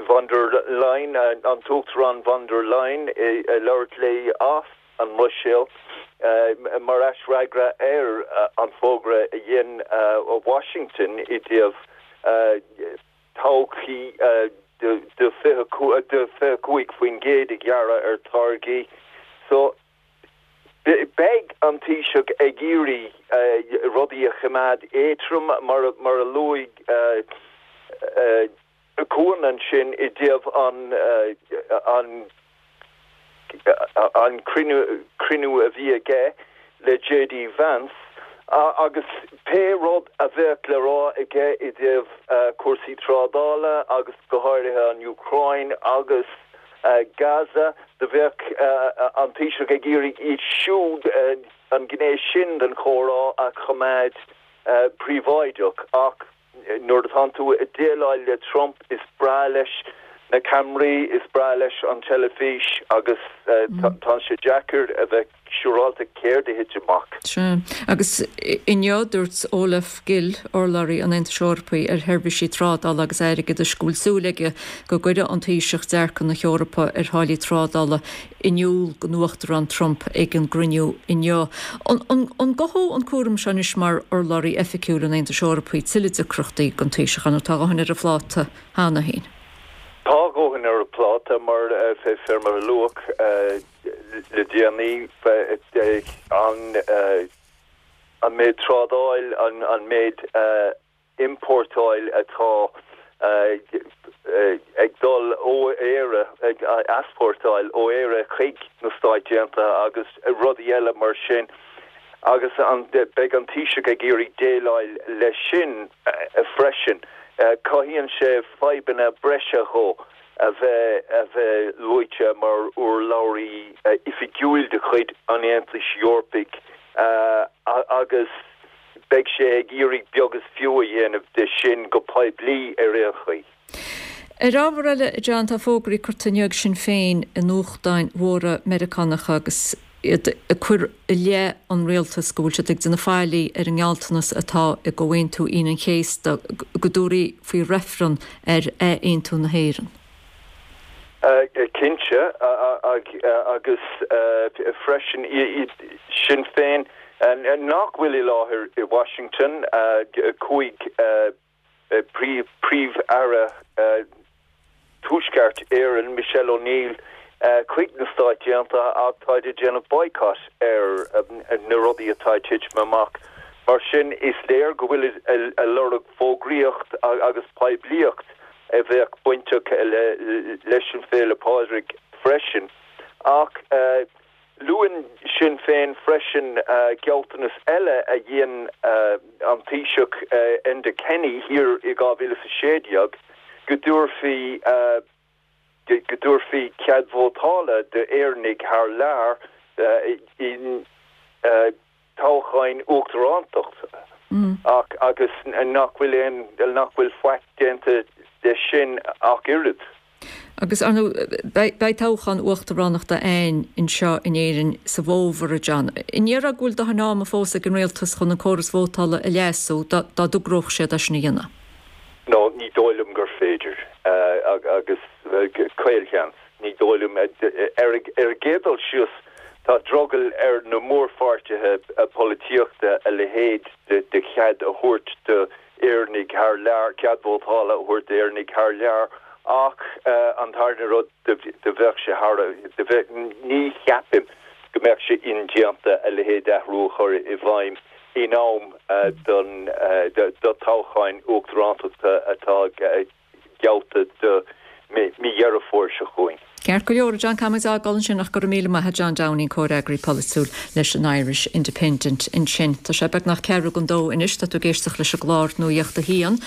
von der Leyen, an tUachtarán von der Leyen ag labhairt léi as an mBruiséil mar aisfhreagra ar an bhfógra a dhein Washington i dtaobh todhchaí de 25% a ghearradh ar táirgí. So, beidh an Taoiseach ag iarraidh rudaí a choimeád éadtrom, mar a luaigh Cuan ansin i dtaobh an an cruinniú a bhí aige le JD Vance agus pé rud a bheadh le rá aige i dtaobh cúrsaí trádála agus go háirithe an Úcráin agus Gaza, do bheadh an Taoiseach ag iarraidh iad siúd, an ghné sin den chomhrá a choimeád príobháideach. Ach nuair atánn tú ag déileáil le Trump, is breá leis na ceamaraí, is breá leis an teilifís agus tá sé deacair a bheith siúrálta céard a thit amach. Sea. Agus inniu dúirt Olaf Gill, urlabhraí an Aontais Eorpaigh ar sheirbhísí trádála agus airgeadais, go bhfuil súil aige go gcuirfidh an Taoiseach dearcadh na hEorpa ar tháillí trádála in iúl don Uachtarán Trump ag an gcruinniú inniu. An gcothódh an cúram seo anois mar urlabhraí oifigiúil an Aontais Eorpaigh tuilleadh deacrachtaí don Taoiseach, nó tá a dhóthain ar a phláta cheana féin? Tá a dhóthain ar a phláta mar fé mar a luadh le déanaí an méid trádáil, an méid iompórtáil atá ag dul ó Éire, ag easpórtáil ó Éire chuig na Stáit Aontaithe agus rudaí eile mar sin agus beidh an Taoiseach ag iarraidh déileáil leis sin freisin. Cothaíonn sé fadhbanna breise dhó. a bheith a bheith luaite mar urlabhraí oifigiúil de chuid an Aontais Eorpaigh agus beidh sé ag iarraidh beag is fiú a dhéanamh de sin go poiblí ar aon chaoi. Ar ábhar eile, a John, tá fógraí curtha inniu ag Sinn Féin i nuachtáin mhóra Meiriceánacha agus iad ag cur i leith an rialtais go bhfuil siad ag déanamh faillí ar an ngealltanas atá i gComhaontú Aoine an Chéasta go dtabharfaí faoi reifreann ar ath-aontú na hÉireann. Cinnte, agus freisin Sinn Féin nach bhfuil i láthair i Washington, chuaigh Príomh-Aire Tuaisceart Éireann, Michelle O'Neill, chuig na Stáit Aontaithe ach táid ag déanamh boycott ar na rudaí atá ag titim amach. Mar sin, is léir go bhfuilid ag lorg fógraíocht agus poiblíocht a bheadh bainteach leis an Féile Pádraig freisin. Ach. Luann Sinn Féin freisin gealltanas eile a dhein an Taoiseach Enda Kenny thiar i 2016, go dtabharfaí go dtabharfaí cead vótála d'Éireannaigh thar lear i toghcháin uachtaránachta ach agus nach bhfuil aon nach bhfuil faic déanta de sin ach oiread. Agus, ar ndóigh, beidh toghchán uachtaránachta againn anseo in Éirinn sa bhfómhar, a John. An ndéarfá go bhfuil dóthain ama fós ag an rialtas chun an córas vótála a leasú dá dtogródh siad é sin a dhéanamh? No, ní dóigh liom gur féidir, agus caolsheans, ní dóigh liom. Ar an gcéad dul síos, tá drogall ar na mórpháirtithe polaitíochta a leithéid de chead a thabhairt do Éireannaigh thar lear, cead vótála a thabhairt d'Éireannaigh thar lear ach an tarna rud, do bheadh sé thar a, do bheadh, ní cheapaim go mbeadh sé indéanta a leithéid d'athrú a chur i bhfeidhm in am don, do toghcháin uachtarántachta atá geallta do mí Dheireadh Fómhair seo chugainn. Ceart go leor, a John, caithfidh muid é a fhágáil ansin ach go raibh míle maith a't, John Downing, comhfhreagraí polaitiúil leis an Irish Independent ansin. Tá sé beagnach ceathrú don dó anois, tá tú ag éisteacht leis an gclár Nuacht a hAon.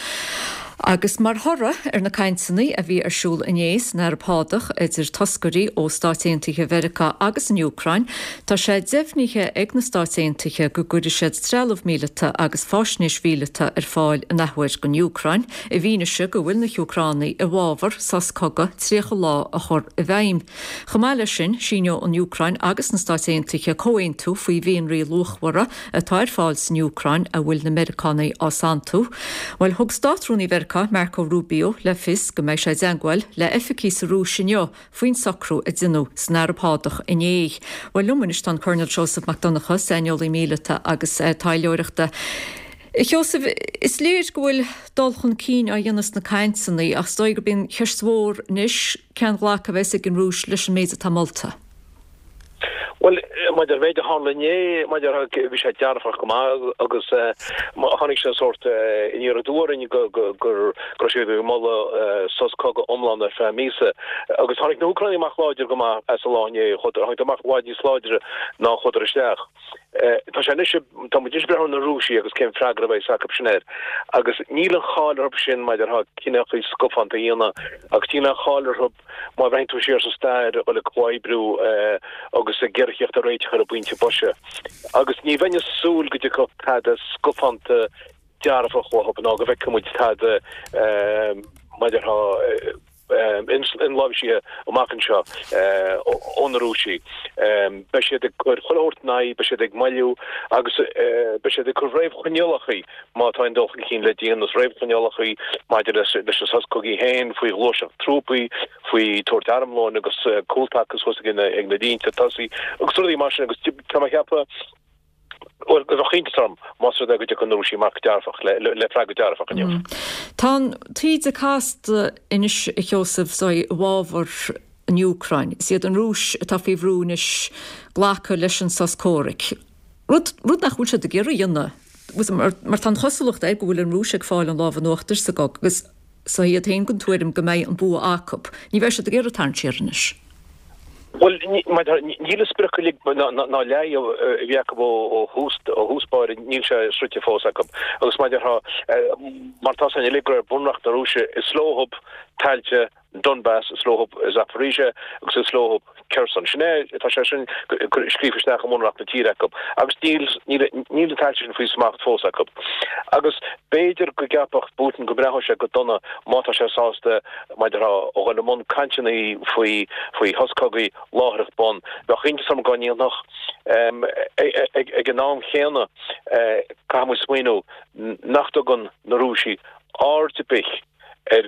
Agus mar thoradh ar na cainteanna a bhí ar siúl inné san Araib Shádach idir toscairí ó Stáit Aontaithe Mheiriceá agus an Úcráin, tá sé deimhnithe ag na Stáit Aontaithe go gcuirfidh siad trealamh míleata agus fáisnéis mhíleata ar fáil in athuair don Úcráin, i bhfianaise go bhfuil na hÚcránaigh i bhfabhar sos cogaidh 30 lá a chur i bhfeidhm. Chomh maith leis sin, síneoidh an Úcráin agus na Stáit Aontaithe comhaontú faoi mhianraí luachmhara atá ar fáil san Úcráin a bhfuil na Meiriceánaigh á santú. Bhuel, thug Státrúnaí Mheiriceá, Marco Rubio, le fios go mbeidh sé i dteangmháil le oifigigh sa Rúis inniu faoin socrú a deineadh san Araib Shádach inné. Bhuel, liom anois tá an Coirnéal Seosamh Mac Donncha, saineolaí míleata agus taidhleoireachta. A Sheosaimh, is léir go bhfuil dul chun cinn á dhéanamh sna cainteanna ach is dóigh gurb í an cheist mhór anois cén ghlacadh a bheas ag an Rúis leis an méid atá molta. Bhuel, maidir le méid a tharla inné, maidir le, bhí sé dearfach go maith agus tháinig sé sórt aniar aduaidh orainn go raibh siad ag moladh sos cogaidh iomlán ar feadh míosa. Agus tháinig na hÚcránaigh amach láidir go maith as an lá inné, tháinig amach i bhfad níos láidre ná a chuadar isteach. Tá sé anois, tá muid anois ag breathnú ar na Rúisigh agus cén freagra a bheidh acu sin air. Agus níl an cháil orthu sin maidir le cineálacha scafánta a dhéanamh agus níl an cháil orthu Má bhreathnaíonn tú siar sa stair, a dhul ag comhoibriú agus ag iarraidh theacht ar réiteach ar an bpointe boise. Agus ní bheinn ag súil go dtiocfadh tada scafánta dearfach uathu ná go bhfeicfidh muid tada maidir le inláimhsithe amach anseo ó na Rúisigh. Beidh siad ag cur chuile shórt ina aghaidh, beidh siad ag moilliú agus beidh siad ag cur réamhchoinníollacha má tá aon dul chun cinn le déanamh, réamhchoinníollacha maidir leis an sos cogaidh féin, faoi ghluaiseacht trúpaí, faoi tabhairt armlóin agus cúltaca suas ag na línte tosaigh agus rudaí mar sin agus tá mé ag ceapadh, bhuel, bheadh iontas orm más rud é go dtiocfadh na Rúisigh amach dearfach, le freagra dearfach inniu. Tá an taoide casta anois, a Sheosaimh, i bhfabhar an Úcráin. Is iad an Rúis atá faoi bhrú anois glacadh leis an sos comhraic. Rud, rud nach bhfuil siad ag iarraidh a dhéanamh, mar, mar tá an chosúlacht air go bhfuil an Rúis ag fáil an lámh in uachtar sa gcogadh agus tá iad féin den tuairim go mbeidh an bua acu. Ní bheidh siad ag iarraidh tarraingt siar anois. Bhuel, níl an sprioc uilig ná leath a bhí acu ó thús, ó thús báire, níl sé sroichte fós acu. Agus mar a déarfá, mar tá a fhios againn uilig de réir Bhunreacht na Rúise, is leothub tailte Donbas, is leothub Zaporizhia agus is leothub Kherson. Sin é, tá sé sin scríofa isteach i mbunreacht na tíre acu agus níl, níl, níl na tailte sin faoi smacht fós acu. Agus b'fhéidir go gceapfadh Putin go mbreathnódh sé go dona má tá sé sásta, mar a déarfá, a dhul i mbun cainteanna faoi, faoi shos cogaidh láithreach bonn. Bheadh iontas orm dá ndéanfadh. Ag an am chéanna, caithfidh muid smaoineamh nach dtugann na Rúisigh aird ar bith ar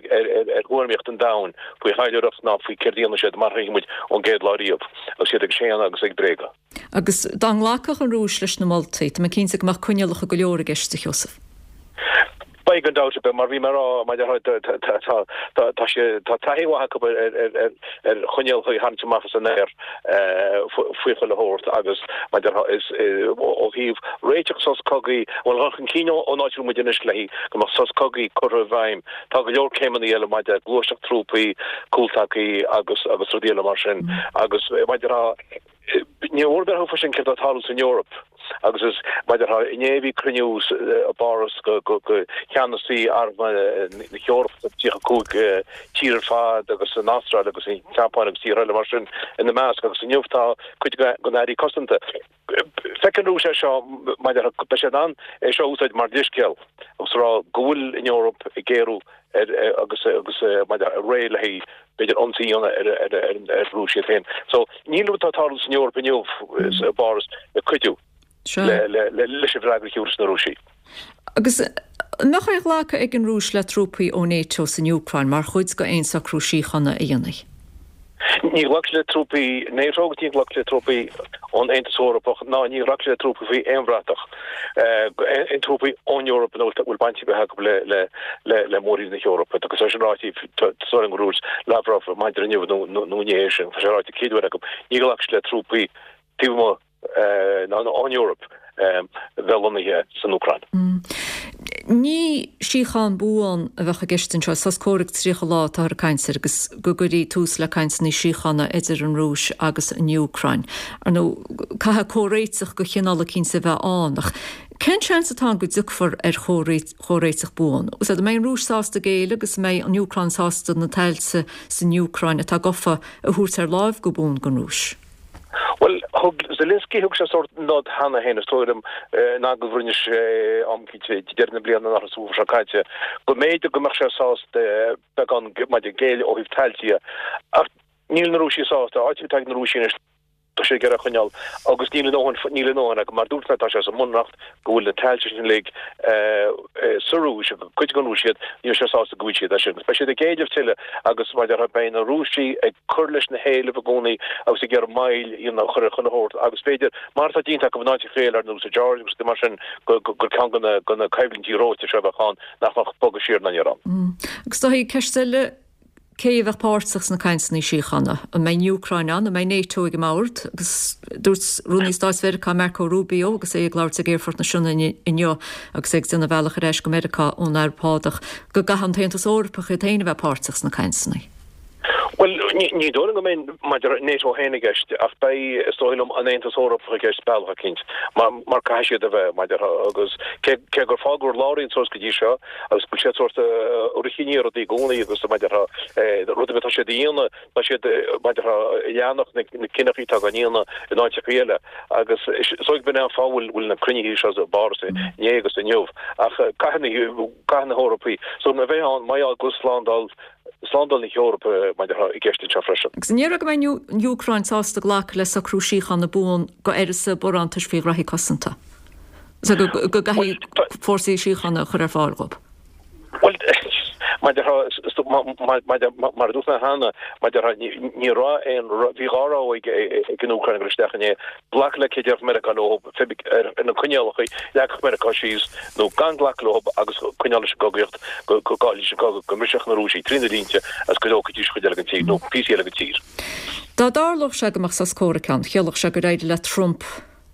thuairimíocht an domhain faoi thaidhleoireacht ná faoi céard a dhéanann siad mar a thuigeann muid ón gcéad lá riamh agus iad ag séanadh agus ag bréagadh. Agus dá nglacfadh an Rúis leis na moltaí, tá mé cinnte go mbeadh coinníollacha go leor i gceist, a Sheosaimh. Beidh gan dabht ar bith, mar bhí mé a rá, mar a déarfá, tá sé, tá taithí mhaith acu ar choinníollacha a tharraingt amach as an aer faoi chuile shórt agus mar a déarfá, is ó thaobh réiteach sos cogaidh, bhuel, dhul chun cinn ón áit a bhfuil muid anois le go mbeadh sos cogaidh curtha i bhfeidhm, tá go leor céimeanna eile maidir le gluaiseacht trúpaí, cúltacaí agus agus rudaí eile mar sin agus mar a déarfá, ní mór breathnú freisin céard atá ag tarlú san Eoraip agus is mar a déarfá, inné bhí cruinniú i bPáras go cheannasaí arm na hEorpa, 35 tír ar fad agus an Astráil agus an tSeapáin agus tíortha eile mar sin ina measc agus inniu tá cuid de na hairí cosanta. Feiceann an Rúis é seo mar a déarfá, beidh sé in ann é seo a úsáid mar dhíscéal agus a rá go bhfuil an Eoraip ag géarú ar agus agus mar a déarfá réidh le haghaidh b'fhéidir ionsaí a dhéanamh ar ar ar ar an Rúis iad féin. So níl rud atá ag tarlú san Eoraip inniu i bPáras ag cuidiú le le leis an bhfreagra a thiúrfas na Rúisigh. Agus an mbeadh aon ghlacadh ag an Rúis le trúpaí ó NATO san Úcráin mar chuid d'aon socrú síochána a dhéanfaí? Ní ghlacfaidh le trúpaí NATO agus ní ghlacfaidh le trúpaí ón Aontas Eorpach ná ní ghlacfaidh le trúpaí faoi aon bhratach, aon trúpaí ón Eoraip a bhfuil baint ar bith acu le mórthír na hEorpa. Agus tá sin ráite, tá súil agam gur dhúirt Lavrov maidir inniu nó inné é sin, tá sé ráite céad uair acu, ní ghlacfaidh le trúpaí taobh amuigh ná ón Eoraip bheith lonnaithe san Úcráin. Ní síocháin buan a bheadh i gceist anseo, sos comhraic 30 lá atáthar ag caint air agus go gcuirfí tús le cainteanna síochána idir an Rúis agus an Úcráin. Ar ndóigh, caithfidh comhréiteach de chineál eicínt a bheith ann, ach. Cén seans atá ann go dtiocfar ar chomhréiteach buan? Is an mbeidh an Rúis sásta géilleadh agus an mbeidh an Úcráin sásta na tailte san Úcráin atá gofa a thabhairt ar láimh go buan don Rúis? Bhuel, thug Zelensky, thug sé sórt nod cheana féin, is dóigh liom, in agallamh a rinne sé am eicínt ag deireadh na bliana an seo caite, go mb'fhéidir go mbeadh sé sásta beagán maidir géilleadh ó thaobh tailte dhe. Ach níl na Rúisigh sásta. Áit atá ag na Rúisigh anois, tá siad ag iarraidh a choinneáil agus níl a ndóthain, níl a ndóthain acu. Mar a dúirt mé, tá sé sa mbunreacht go bhfuil na tailte sin uilig sa Rúis, agus cuid den Rúis iad, níl siad sásta go bhfuil siad as sin. Beidh siad ag éileamh tuilleadh agus mar a déarfá beidh na Rúisigh ag cur leis na héilimh i gcónaí agus ag iarraidh moill a dhéanamh a chur ar chuile shórt agus b'fhéidir, mar atá déanta acu in áiteacha eile ar nós sa Georgia agus mar sin, gur ceann de na coimhlintí reoite seo a bheadh ann nach mbeadh bogadh siar ná aniar ann. Agus tá ceist eile Cé a bheadh páirteach sna cainteanna síochána? An mbeidh an Úcráin ann? An mbeidh NATO ag an mbord? Agus dúirt Rúnaí Stáit Mheiriceá Marco Rubio agus é ag labhairt ag Aerfort na Sionainne inniu agus é ag déanamh a bhealach ar ais go Meiriceá ón Araib Shádach go gcaithfidh an tAontas Eorpach iad féin a bheith páirteach sna cainteanna. Bhuel, ní dóigh liom go mbeidh maidir le NATO féin i gceist ach beidh, is dóigh liom, an Aontas Eorpach i gceist bealach eicínt mar caithfidh siad a bheith, maidir agus cé gur fágadh ar lár iad suas go dtí seo, agus go bhfuil siad sórt ag rith i ndiaidh rudaí i gcónaí agus mar a déarfá rud ar bith atá siad a dhéanamh tá siad mar a déarfá ag leanacht na cinneachaí atá á ndéanamh in áiteacha eile agus is dóigh b'in é an fáth bhfuil bhfuil na cruinnithe seo i bPáras inné agus inniu ach caithfidh na caithfidh na hEorpaigh so a bheith ann mar gheall go bhfuil slándáil slándáil na hEorpa mar a déarfá i gceist anseo freisin. Agus an ndéarfá go mbeidh an Úcráin sásta glacadh le socrú síochána buan go uireasa barántais faoi ghraithí cosanta? So go gcaithfidh fórsaí síochána a chur ar fáil dhób. Bhuel, mar a déarfá, mar a dúirt mé cheana, mar a déarfá, ní raibh aon, bhí dhá rogha ag an Úcráin ag dul isteach inné, glacadh le cé déarfadh Meiriceá leo ar na coinníollacha a leagfadh Meiriceá síos nó gan glacadh leo agus coinneáil leis an gcogaíocht, go gcaillfidís an cogadh, go mbrisfeadh na Rúisigh trí na línte agus go dtógfaidís cuid eile den tír nó píosaí eile den tír. Dá dtarlódh sé go mbeadh sos comhraic ann, chiallódh sé gur éirigh le Trump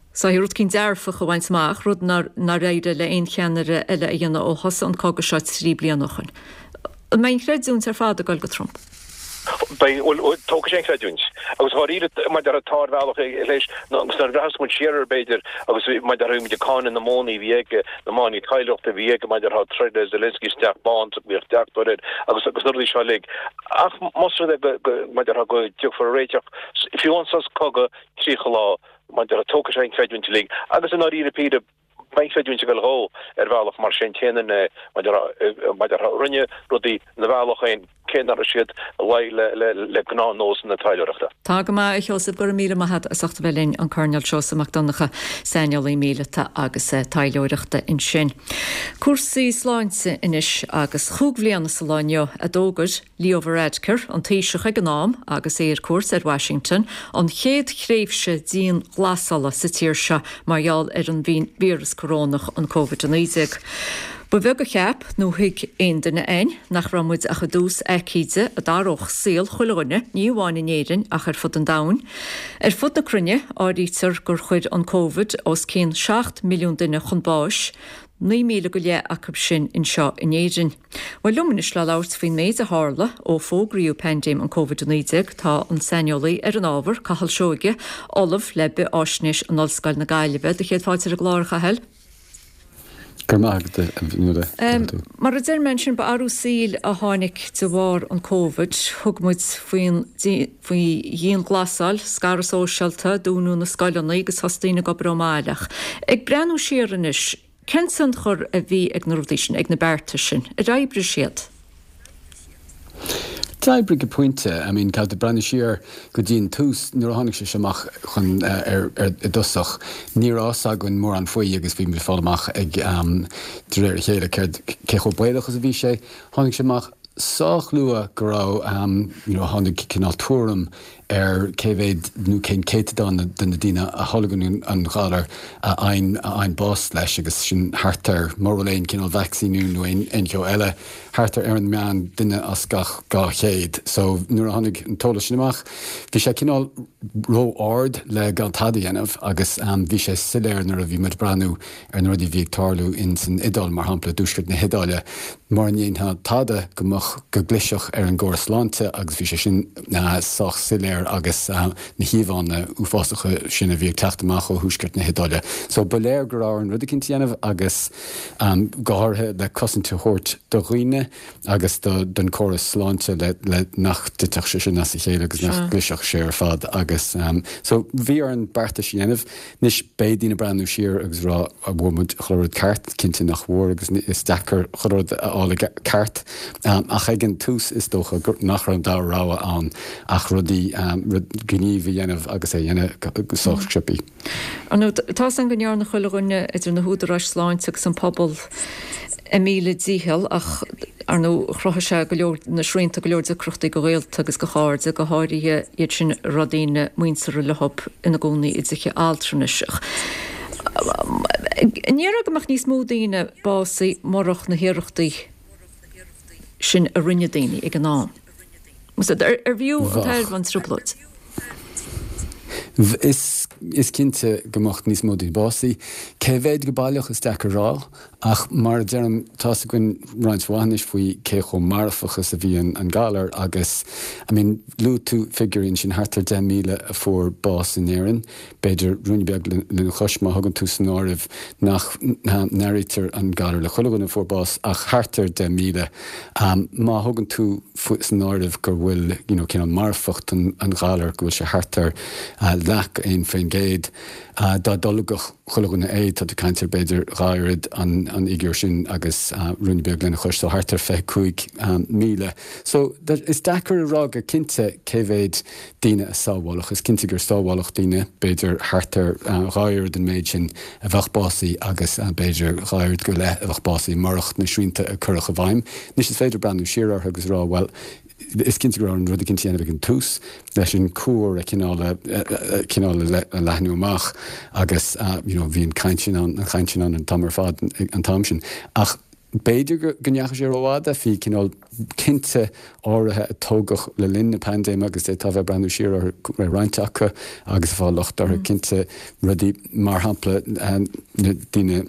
saghas rud eicínt dearfach a bhaint amach, rud nár éirigh le aon cheannaire eile a dhéanamh ó thosaigh an cogadh seo 3 bliana ó shoin. An mbeidh an chreidiúint ar fad ag dul go Trump? Beidh, bhuel, tógfaidh sé an chreidiúint. Agus dháiríre, mar a déarfá, tá ar bhealach leis, agus nuair a bhreathnas muid siar air, b'fhéidir, agus mar a déarfá, bhí muid ag cáineadh na modhanna a bhí aige, na modhanna taidhleoireachta a bhí aige, mar a déarfá, troid le Zelensky sa Teach Bán, bhíodh deachtóir air, agus agus na rudaí seo uilig. Ach más rud é go, go, mar a déarfá, go dtiocfar ar réiteach, fiú amháin sos cogaidh 30 lá, mar a déarfá, tógfaidh sé an chreidiúint uilig agus i ndáiríre píre, beidh an chreidiúint ag dul dhó ar bhealach mar sé an t-aon duine mar a déarfá, a rinne rudaí ina bhealach féin cé nach raibh siad i le le le gnáthnósanna taidhleoireachta. Tá go maith, a Sheosaimh, go raibh míle maith agat as ucht a bheith linn, an Coirnéal Seosamh Mac Donncha, saineolaí míleata agus taidhleoireachta ansin. Cúrsaí sláinte anois agus chúig bhliana sa lá inniu a d'fhógair Leo Varadkar, an Taoiseach ag an am agus é ar cuairt ar Washington, an chéad thréimhse dianghlasála sa tír seo mar gheall ar an víreas corónach, an Covid-19. Ba bheag a cheap nó thuig aon duine againn nach raibh muid ach i dtús aicíde a d'athródh saol chuile dhuine, ní amháin in Éirinn ach ar fud an domhain. Ar fud na cruinne, áirítear gur chuir an Covid os cionn 7 milliún duine chun báis, 9,000 go leith acu sin anseo in Éirinn. Bhuel, liom anois le labhairt faoin méid a tharla ó fógraíodh paindéim an Covid-19 tá an saineolaí ar an ábhar, Cathal Seoige, Ollamh le Bith-Fháisnéis in Ollscoil na Gaillimhe. Do chéad fáilte ar an gclár, a Chathail. Go raibh maith agat, a Fhionnuala. Mar a deir mé ansin, ba athrú saoil a tháinig de bharr an Covid. Thug muid faoin faoi dhianghlasáil, scaradh sóisialta, dúnadh na scoileanna agus thosaigh daoine ag obair ón mbaile. Ach ag breathnú siar anois, Cén tionchar a bhí ag na rudaí sin, ag na bearta sin? Ar oibrigh siad? D'oibrigh go pointe. I mean, caithfidh tú breathnú siar go dtí an tús, nuair a tháinig sé seo amach chun, ar, ar, i dtosach, ní raibh fhios againn mórán faoi agus bhí muid ag fáil amach ag, de réir a chéile céard, cé chomh baolach is a bhí sé. Tháinig sé amach sách luath go raibh, you know, tháinig cineál tuairim ar cé mhéad nó cén céatadán de na daoine a tholgann an galar a fhaigheann bás leis agus sin thart ar, mura bhfuil aon chineál vacsaíniú nó aon cheo eile, thart ar ar an meán duine as gach 200. So nuair a tháinig an t-eolas sin amach, bhí sé cineál ró-ard le gan tada a dhéanamh agus bhí sé soiléir nuair a bhí muid ag breathnú ar na rudaí a bhí ag tarlú in san Iodáil, mar shampla, i dtuaisceart na hIodáile, mura ndéanfá tada go mbeadh, go gclisfeadh ar an gcóras sláinte agus bhí sé sin sách soiléir. léir agus na híomhánna uafásacha sin a bhí ag teacht amach ó thuaisceart na hIodáile. So ba léir go raibh orainn rud eicínt a dhéanamh agus go háirithe le cosaint a thabhairt do dhaoine agus do don córas sláinte le le nach dtitfeadh sé sin as a chéile agus nach gclisfeadh sé ar fad agus so bhí orainn beartais a dhéanamh. Anois beidh daoine ag breathnú siar agus rá an bhfuair muid chuile rud ceart, cinnte nach bhfuair agus is deacair chuile rud a fháil ceart ach ag an tús is dócha nach raibh an dara rogha ann ach rudaí, rud, gníomh a dhéanamh agus é a dhéanamh go sách sciobthaí. Ar ndóigh, tá's againn go ndearna chuile dhuine, idir na húdaráis sláinte agus an pobal, a míle dícheall ach, ar ndóigh, chruthaigh sé go leor, na srianta, go leor deacrachtaí do ghaolta agus do chairde, go háirithe iad sin a raibh daoine muinteartha leo ina gcónaí i dtithe altranais. Ach an ndéarfá go mbeadh níos mó daoine básaithe murach na hiarrachtaí sin a rinne daoine ag an am? Arbh fhiú an tairbhe an trioblóid? Is is cinnte go mbeadh níos mó daoine básaithe. Cé mhéad go baileach is deacair a rá, ach mar a deirim, tá's againn roinnt mhaith anois faoi cé chomh marfach is a bhí an galar agus, I mean, luaigh tú figiúirí ansin, thart ar 10,000 a fuair bás in Éirinn. B'fhéidir ruainne beag lena chois má thugann tú san áireamh nach n-áirítear an galar le chuile dhuine a fuair bás ach thart ar 10,000. Má thugann tú san áireamh go bhfuil you know cineál marfacht an ghalair, go bhfuil sé thart ar leath go 1%, dá dtolgfadh chuile dhuine é, tá tú ag caint ar b'fhéidir dhá oiread an fhigiúr sin agus ruainne beag lena chois, so thart ar 25,000. So is deacair a rá go cinnte cé mhéad daoine a sábháladh. Is cinnte gur sábháladh daoine, b'fhéidir thart ar dhá oiread an méid sin a bheadh básaithe agus b'fhéidir dhá oiread go leith a bheadh básaithe murach na srianta a cuireadh i bhfeidhm. Anois is féidir breathnú siar orthu agus rá, bhuel, is cinnte go raibh orainn rud eicínt a dhéanamh ag an tús leis an cuar a chineál a cineál a leathnú amach agus you know bhí an chaint sin ann, an chaint sin ann an t-am ar fad an t-am sin. Ach b'fhéidir go ndeachaigh sé rófhada, bhí cineál cinnte áirithe a tógadh le linn na paindéime agus d'fhéadfá a bheith ag breathnú siar orthu, ar roinnt acu agus ag fáil locht orthu, cinnte, rudaí mar shampla na daoine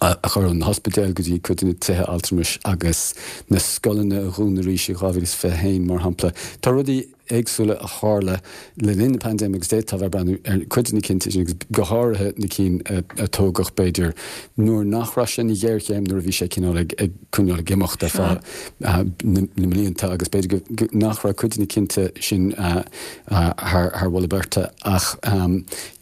a chur ón ospidéal go dtí cuid de na tithe altramais agus na scoileanna a dhúnadh arís i 2021 mar shampla. Tá rudaí éagsúla a tharla le linn na paindéime agus d'fhéadfá a bheith ag breathnú ar chuid de na cinntí sin agus go háirithe na cinn a tógadh b'fhéidir nuair nach raibh sé ina ghéarchéim, nuair a bhí sé cineál ag coinneáil ag imeacht ar feadh na mblianta agus b'fhéidir nach raibh cuid de na cinnte sin thar mholadh beirte ach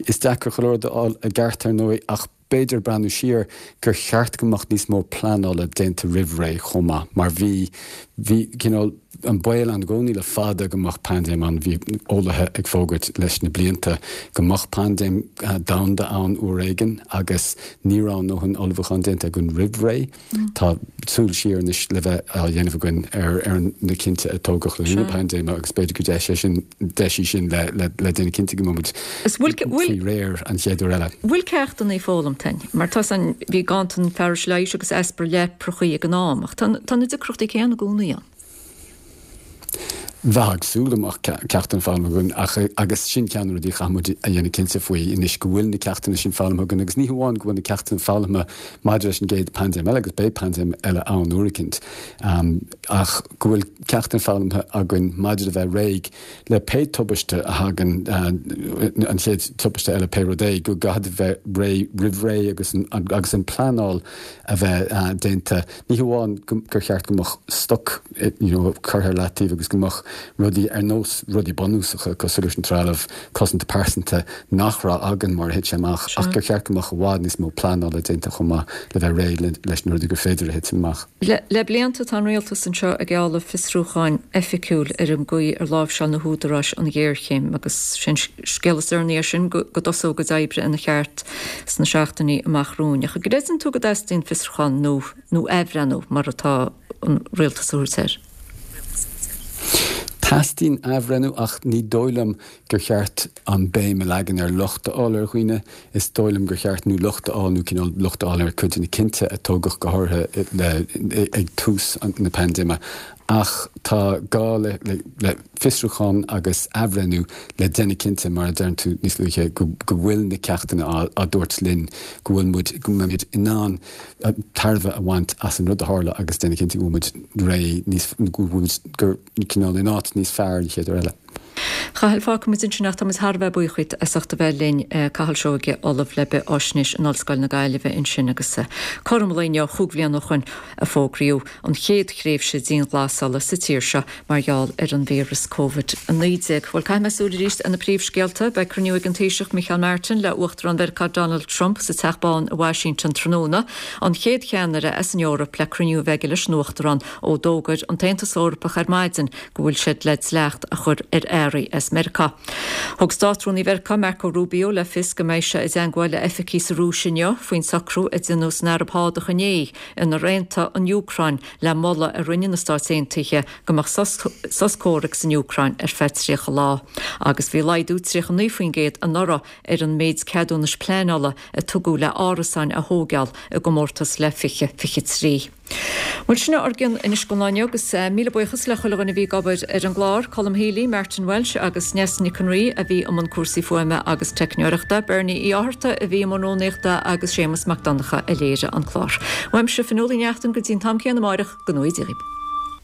is deacair chuile rud a fháil i gceart ar ndóigh ach b'fhéidir breathnú siar gur cheart go mbeadh níos mó pleanála déanta roimh ré chomh maith mar bhí, bhí cineál an baol ann i gcónaí le fada go mbeadh paindéim ann, bhí eolaithe ag fógairt leis na blianta go mbeadh paindéim domhanda ann uair éigin agus ní raibh a ndóthain ullmhúcháin déanta againn roimh ré. Tá súil siar anois le bheith á dhéanamh againn ar na cinnte a tógadh le linn na paindéime agus b'fhéidir gur deis é sin, deis í sin le déanamh cinnte go mbeidh muid faoi réir an chéad uair eile. Bhfuil ceachtanna foghlamtha againn? Mar tá san, bhí ganntan fearais leighis agus easpa leaprachaí ag an am ach tá na deacrachtaí céanna i gcónaí ann. Bheifeá ag súil go mbeadh ceachtanna foghlamtha againn ach agus sin ceann de na rudaí a chaithfidh muid a dhéanamh cinnte faoi anois go bhfuil na ceachtanna sin foghlamtha againn agus ní hamháin go bhfuil na ceachtanna foghlamtha maidir leis an gcéad paindéim eile agus beidh paindéim eile ann uair eicínt ach go bhfuil ceachtanna foghlamtha againn maidir le bheith réidh le pé tubaiste a thagann an chéad tubaiste eile pé rud é go gcaithfidh bheith réidh roimh ré agus agus an pleanáil a bheith déanta Ní hamháin gur cheart go mbeadh stoc you know curtha ar leataobh agus go mbeadh rudaí ar nós rudaí bunúsacha cosúil leis an trealamh cosanta pearsanta nach raibh againn mar a thit sé amach ach gur cheart go mbeadh i bhfad níos mó pleanála déanta chomh maith le bheith réidh leis na rudaí gur féidir a thitim amach. Le blianta tá an rialtas anseo ag gealladh fiosrúcháin oifigiúil ar an gcaoi ar láimhseáil na húdaráis an ghéarchéim agus sé an scéal is deireanaí air sin go dtosóidh a gcuid oibre ina cheart sna seachtainí amach romhainn. Ach an gcreideann tú go dteastaíonn fiosrúchán nó nó athbhreithniú mar atá an rialtas a thabhairt air? Teastaíonn athbhreithniú ach ní dóigh liom gur cheart an béim a leagan ar locht a fháil ar dhaoine. Is dóigh liom gur cheart nó locht a fháil nó cineál locht a fháil ar cuid de na cinnte a tógadh go háirithe le ag tús na paindéime. Ach tá gá le le fiosrúchán agus athbhreithniú le déanamh cinnte, mar a deireann tú níos luaithe, go bhfuil na ceachtanna á dtabhairt linn, go bhfuil muid, go mbeimid in ann tairbhe a bhaint as an rud a tharla agus déanamh cinnte go bhfuil muid réidh níos, go bhfuil muid, gur cineál in áit níos fearr an chéad uair eile. Chathail, fágfaidh muid ansin ach tá muid thar a bheith buíoch díot as ucht a bheith linn, Cathal Seoige, Ollamh le Beatháisnéis in Ollscoil na Gaillimhe ansin agus cothrom an lae inniu, chúig bhliana ó shoin, a fógraíodh an chéad thréimhse dianghlasála sa tír seo mar gheall ar an víreas Covid-19. Bhuel, caithfidh mé súil arís ar na príomhscéalta. Beidh cruinniú ag an Taoiseach Micheál Martin le Uachtarán Mheiriceá Donald Trump sa Teach Bán i Washington tráthnóna, an chéad cheannaire as an Eoraip le cruinniú a bheith aige leis an Uachtarán ó d'fhógair an tAontas Eorpach ar maidin go bhfuil siad le dleacht a chur ar earraí as Meiriceá. Thug Státrúnaí Mheiriceá Marco Rubio le fios go mbeidh sé i dteangmháil le oifigigh sa Rúis inniu faoin socrú a deineadh san Araib Shádach inné inar aontaigh an Úcráin le moladh a rinne na Stáit Aontaithe go mbeadh sos comhraic san Úcráin ar feadh 30 lá. Agus bhí laghdú 39% anuraidh ar an méid ceadúnais pleanála a tugadh le árasáin a thóigeáil i gcomórtas le 2023. Bhuel, sin ár gcion anois don lá inniu agus míle buíochas le chuile dhuine a bhí ag obair ar an gclár, Colm Healy, Martin Walsh agus Neasa Nic an Rí a bhí i mbun cúrsaí fuaime agus teicneoireachta, Bernie Uí Fhátharta a bhí i mbun rúnaíochta agus Séamus Mac Donncha a léirigh an clár. Uaimse, Fionnuala Ní Neachtain, go dtí an t-am céanna amáireach, go ngnóthaí Dia dhaoibh.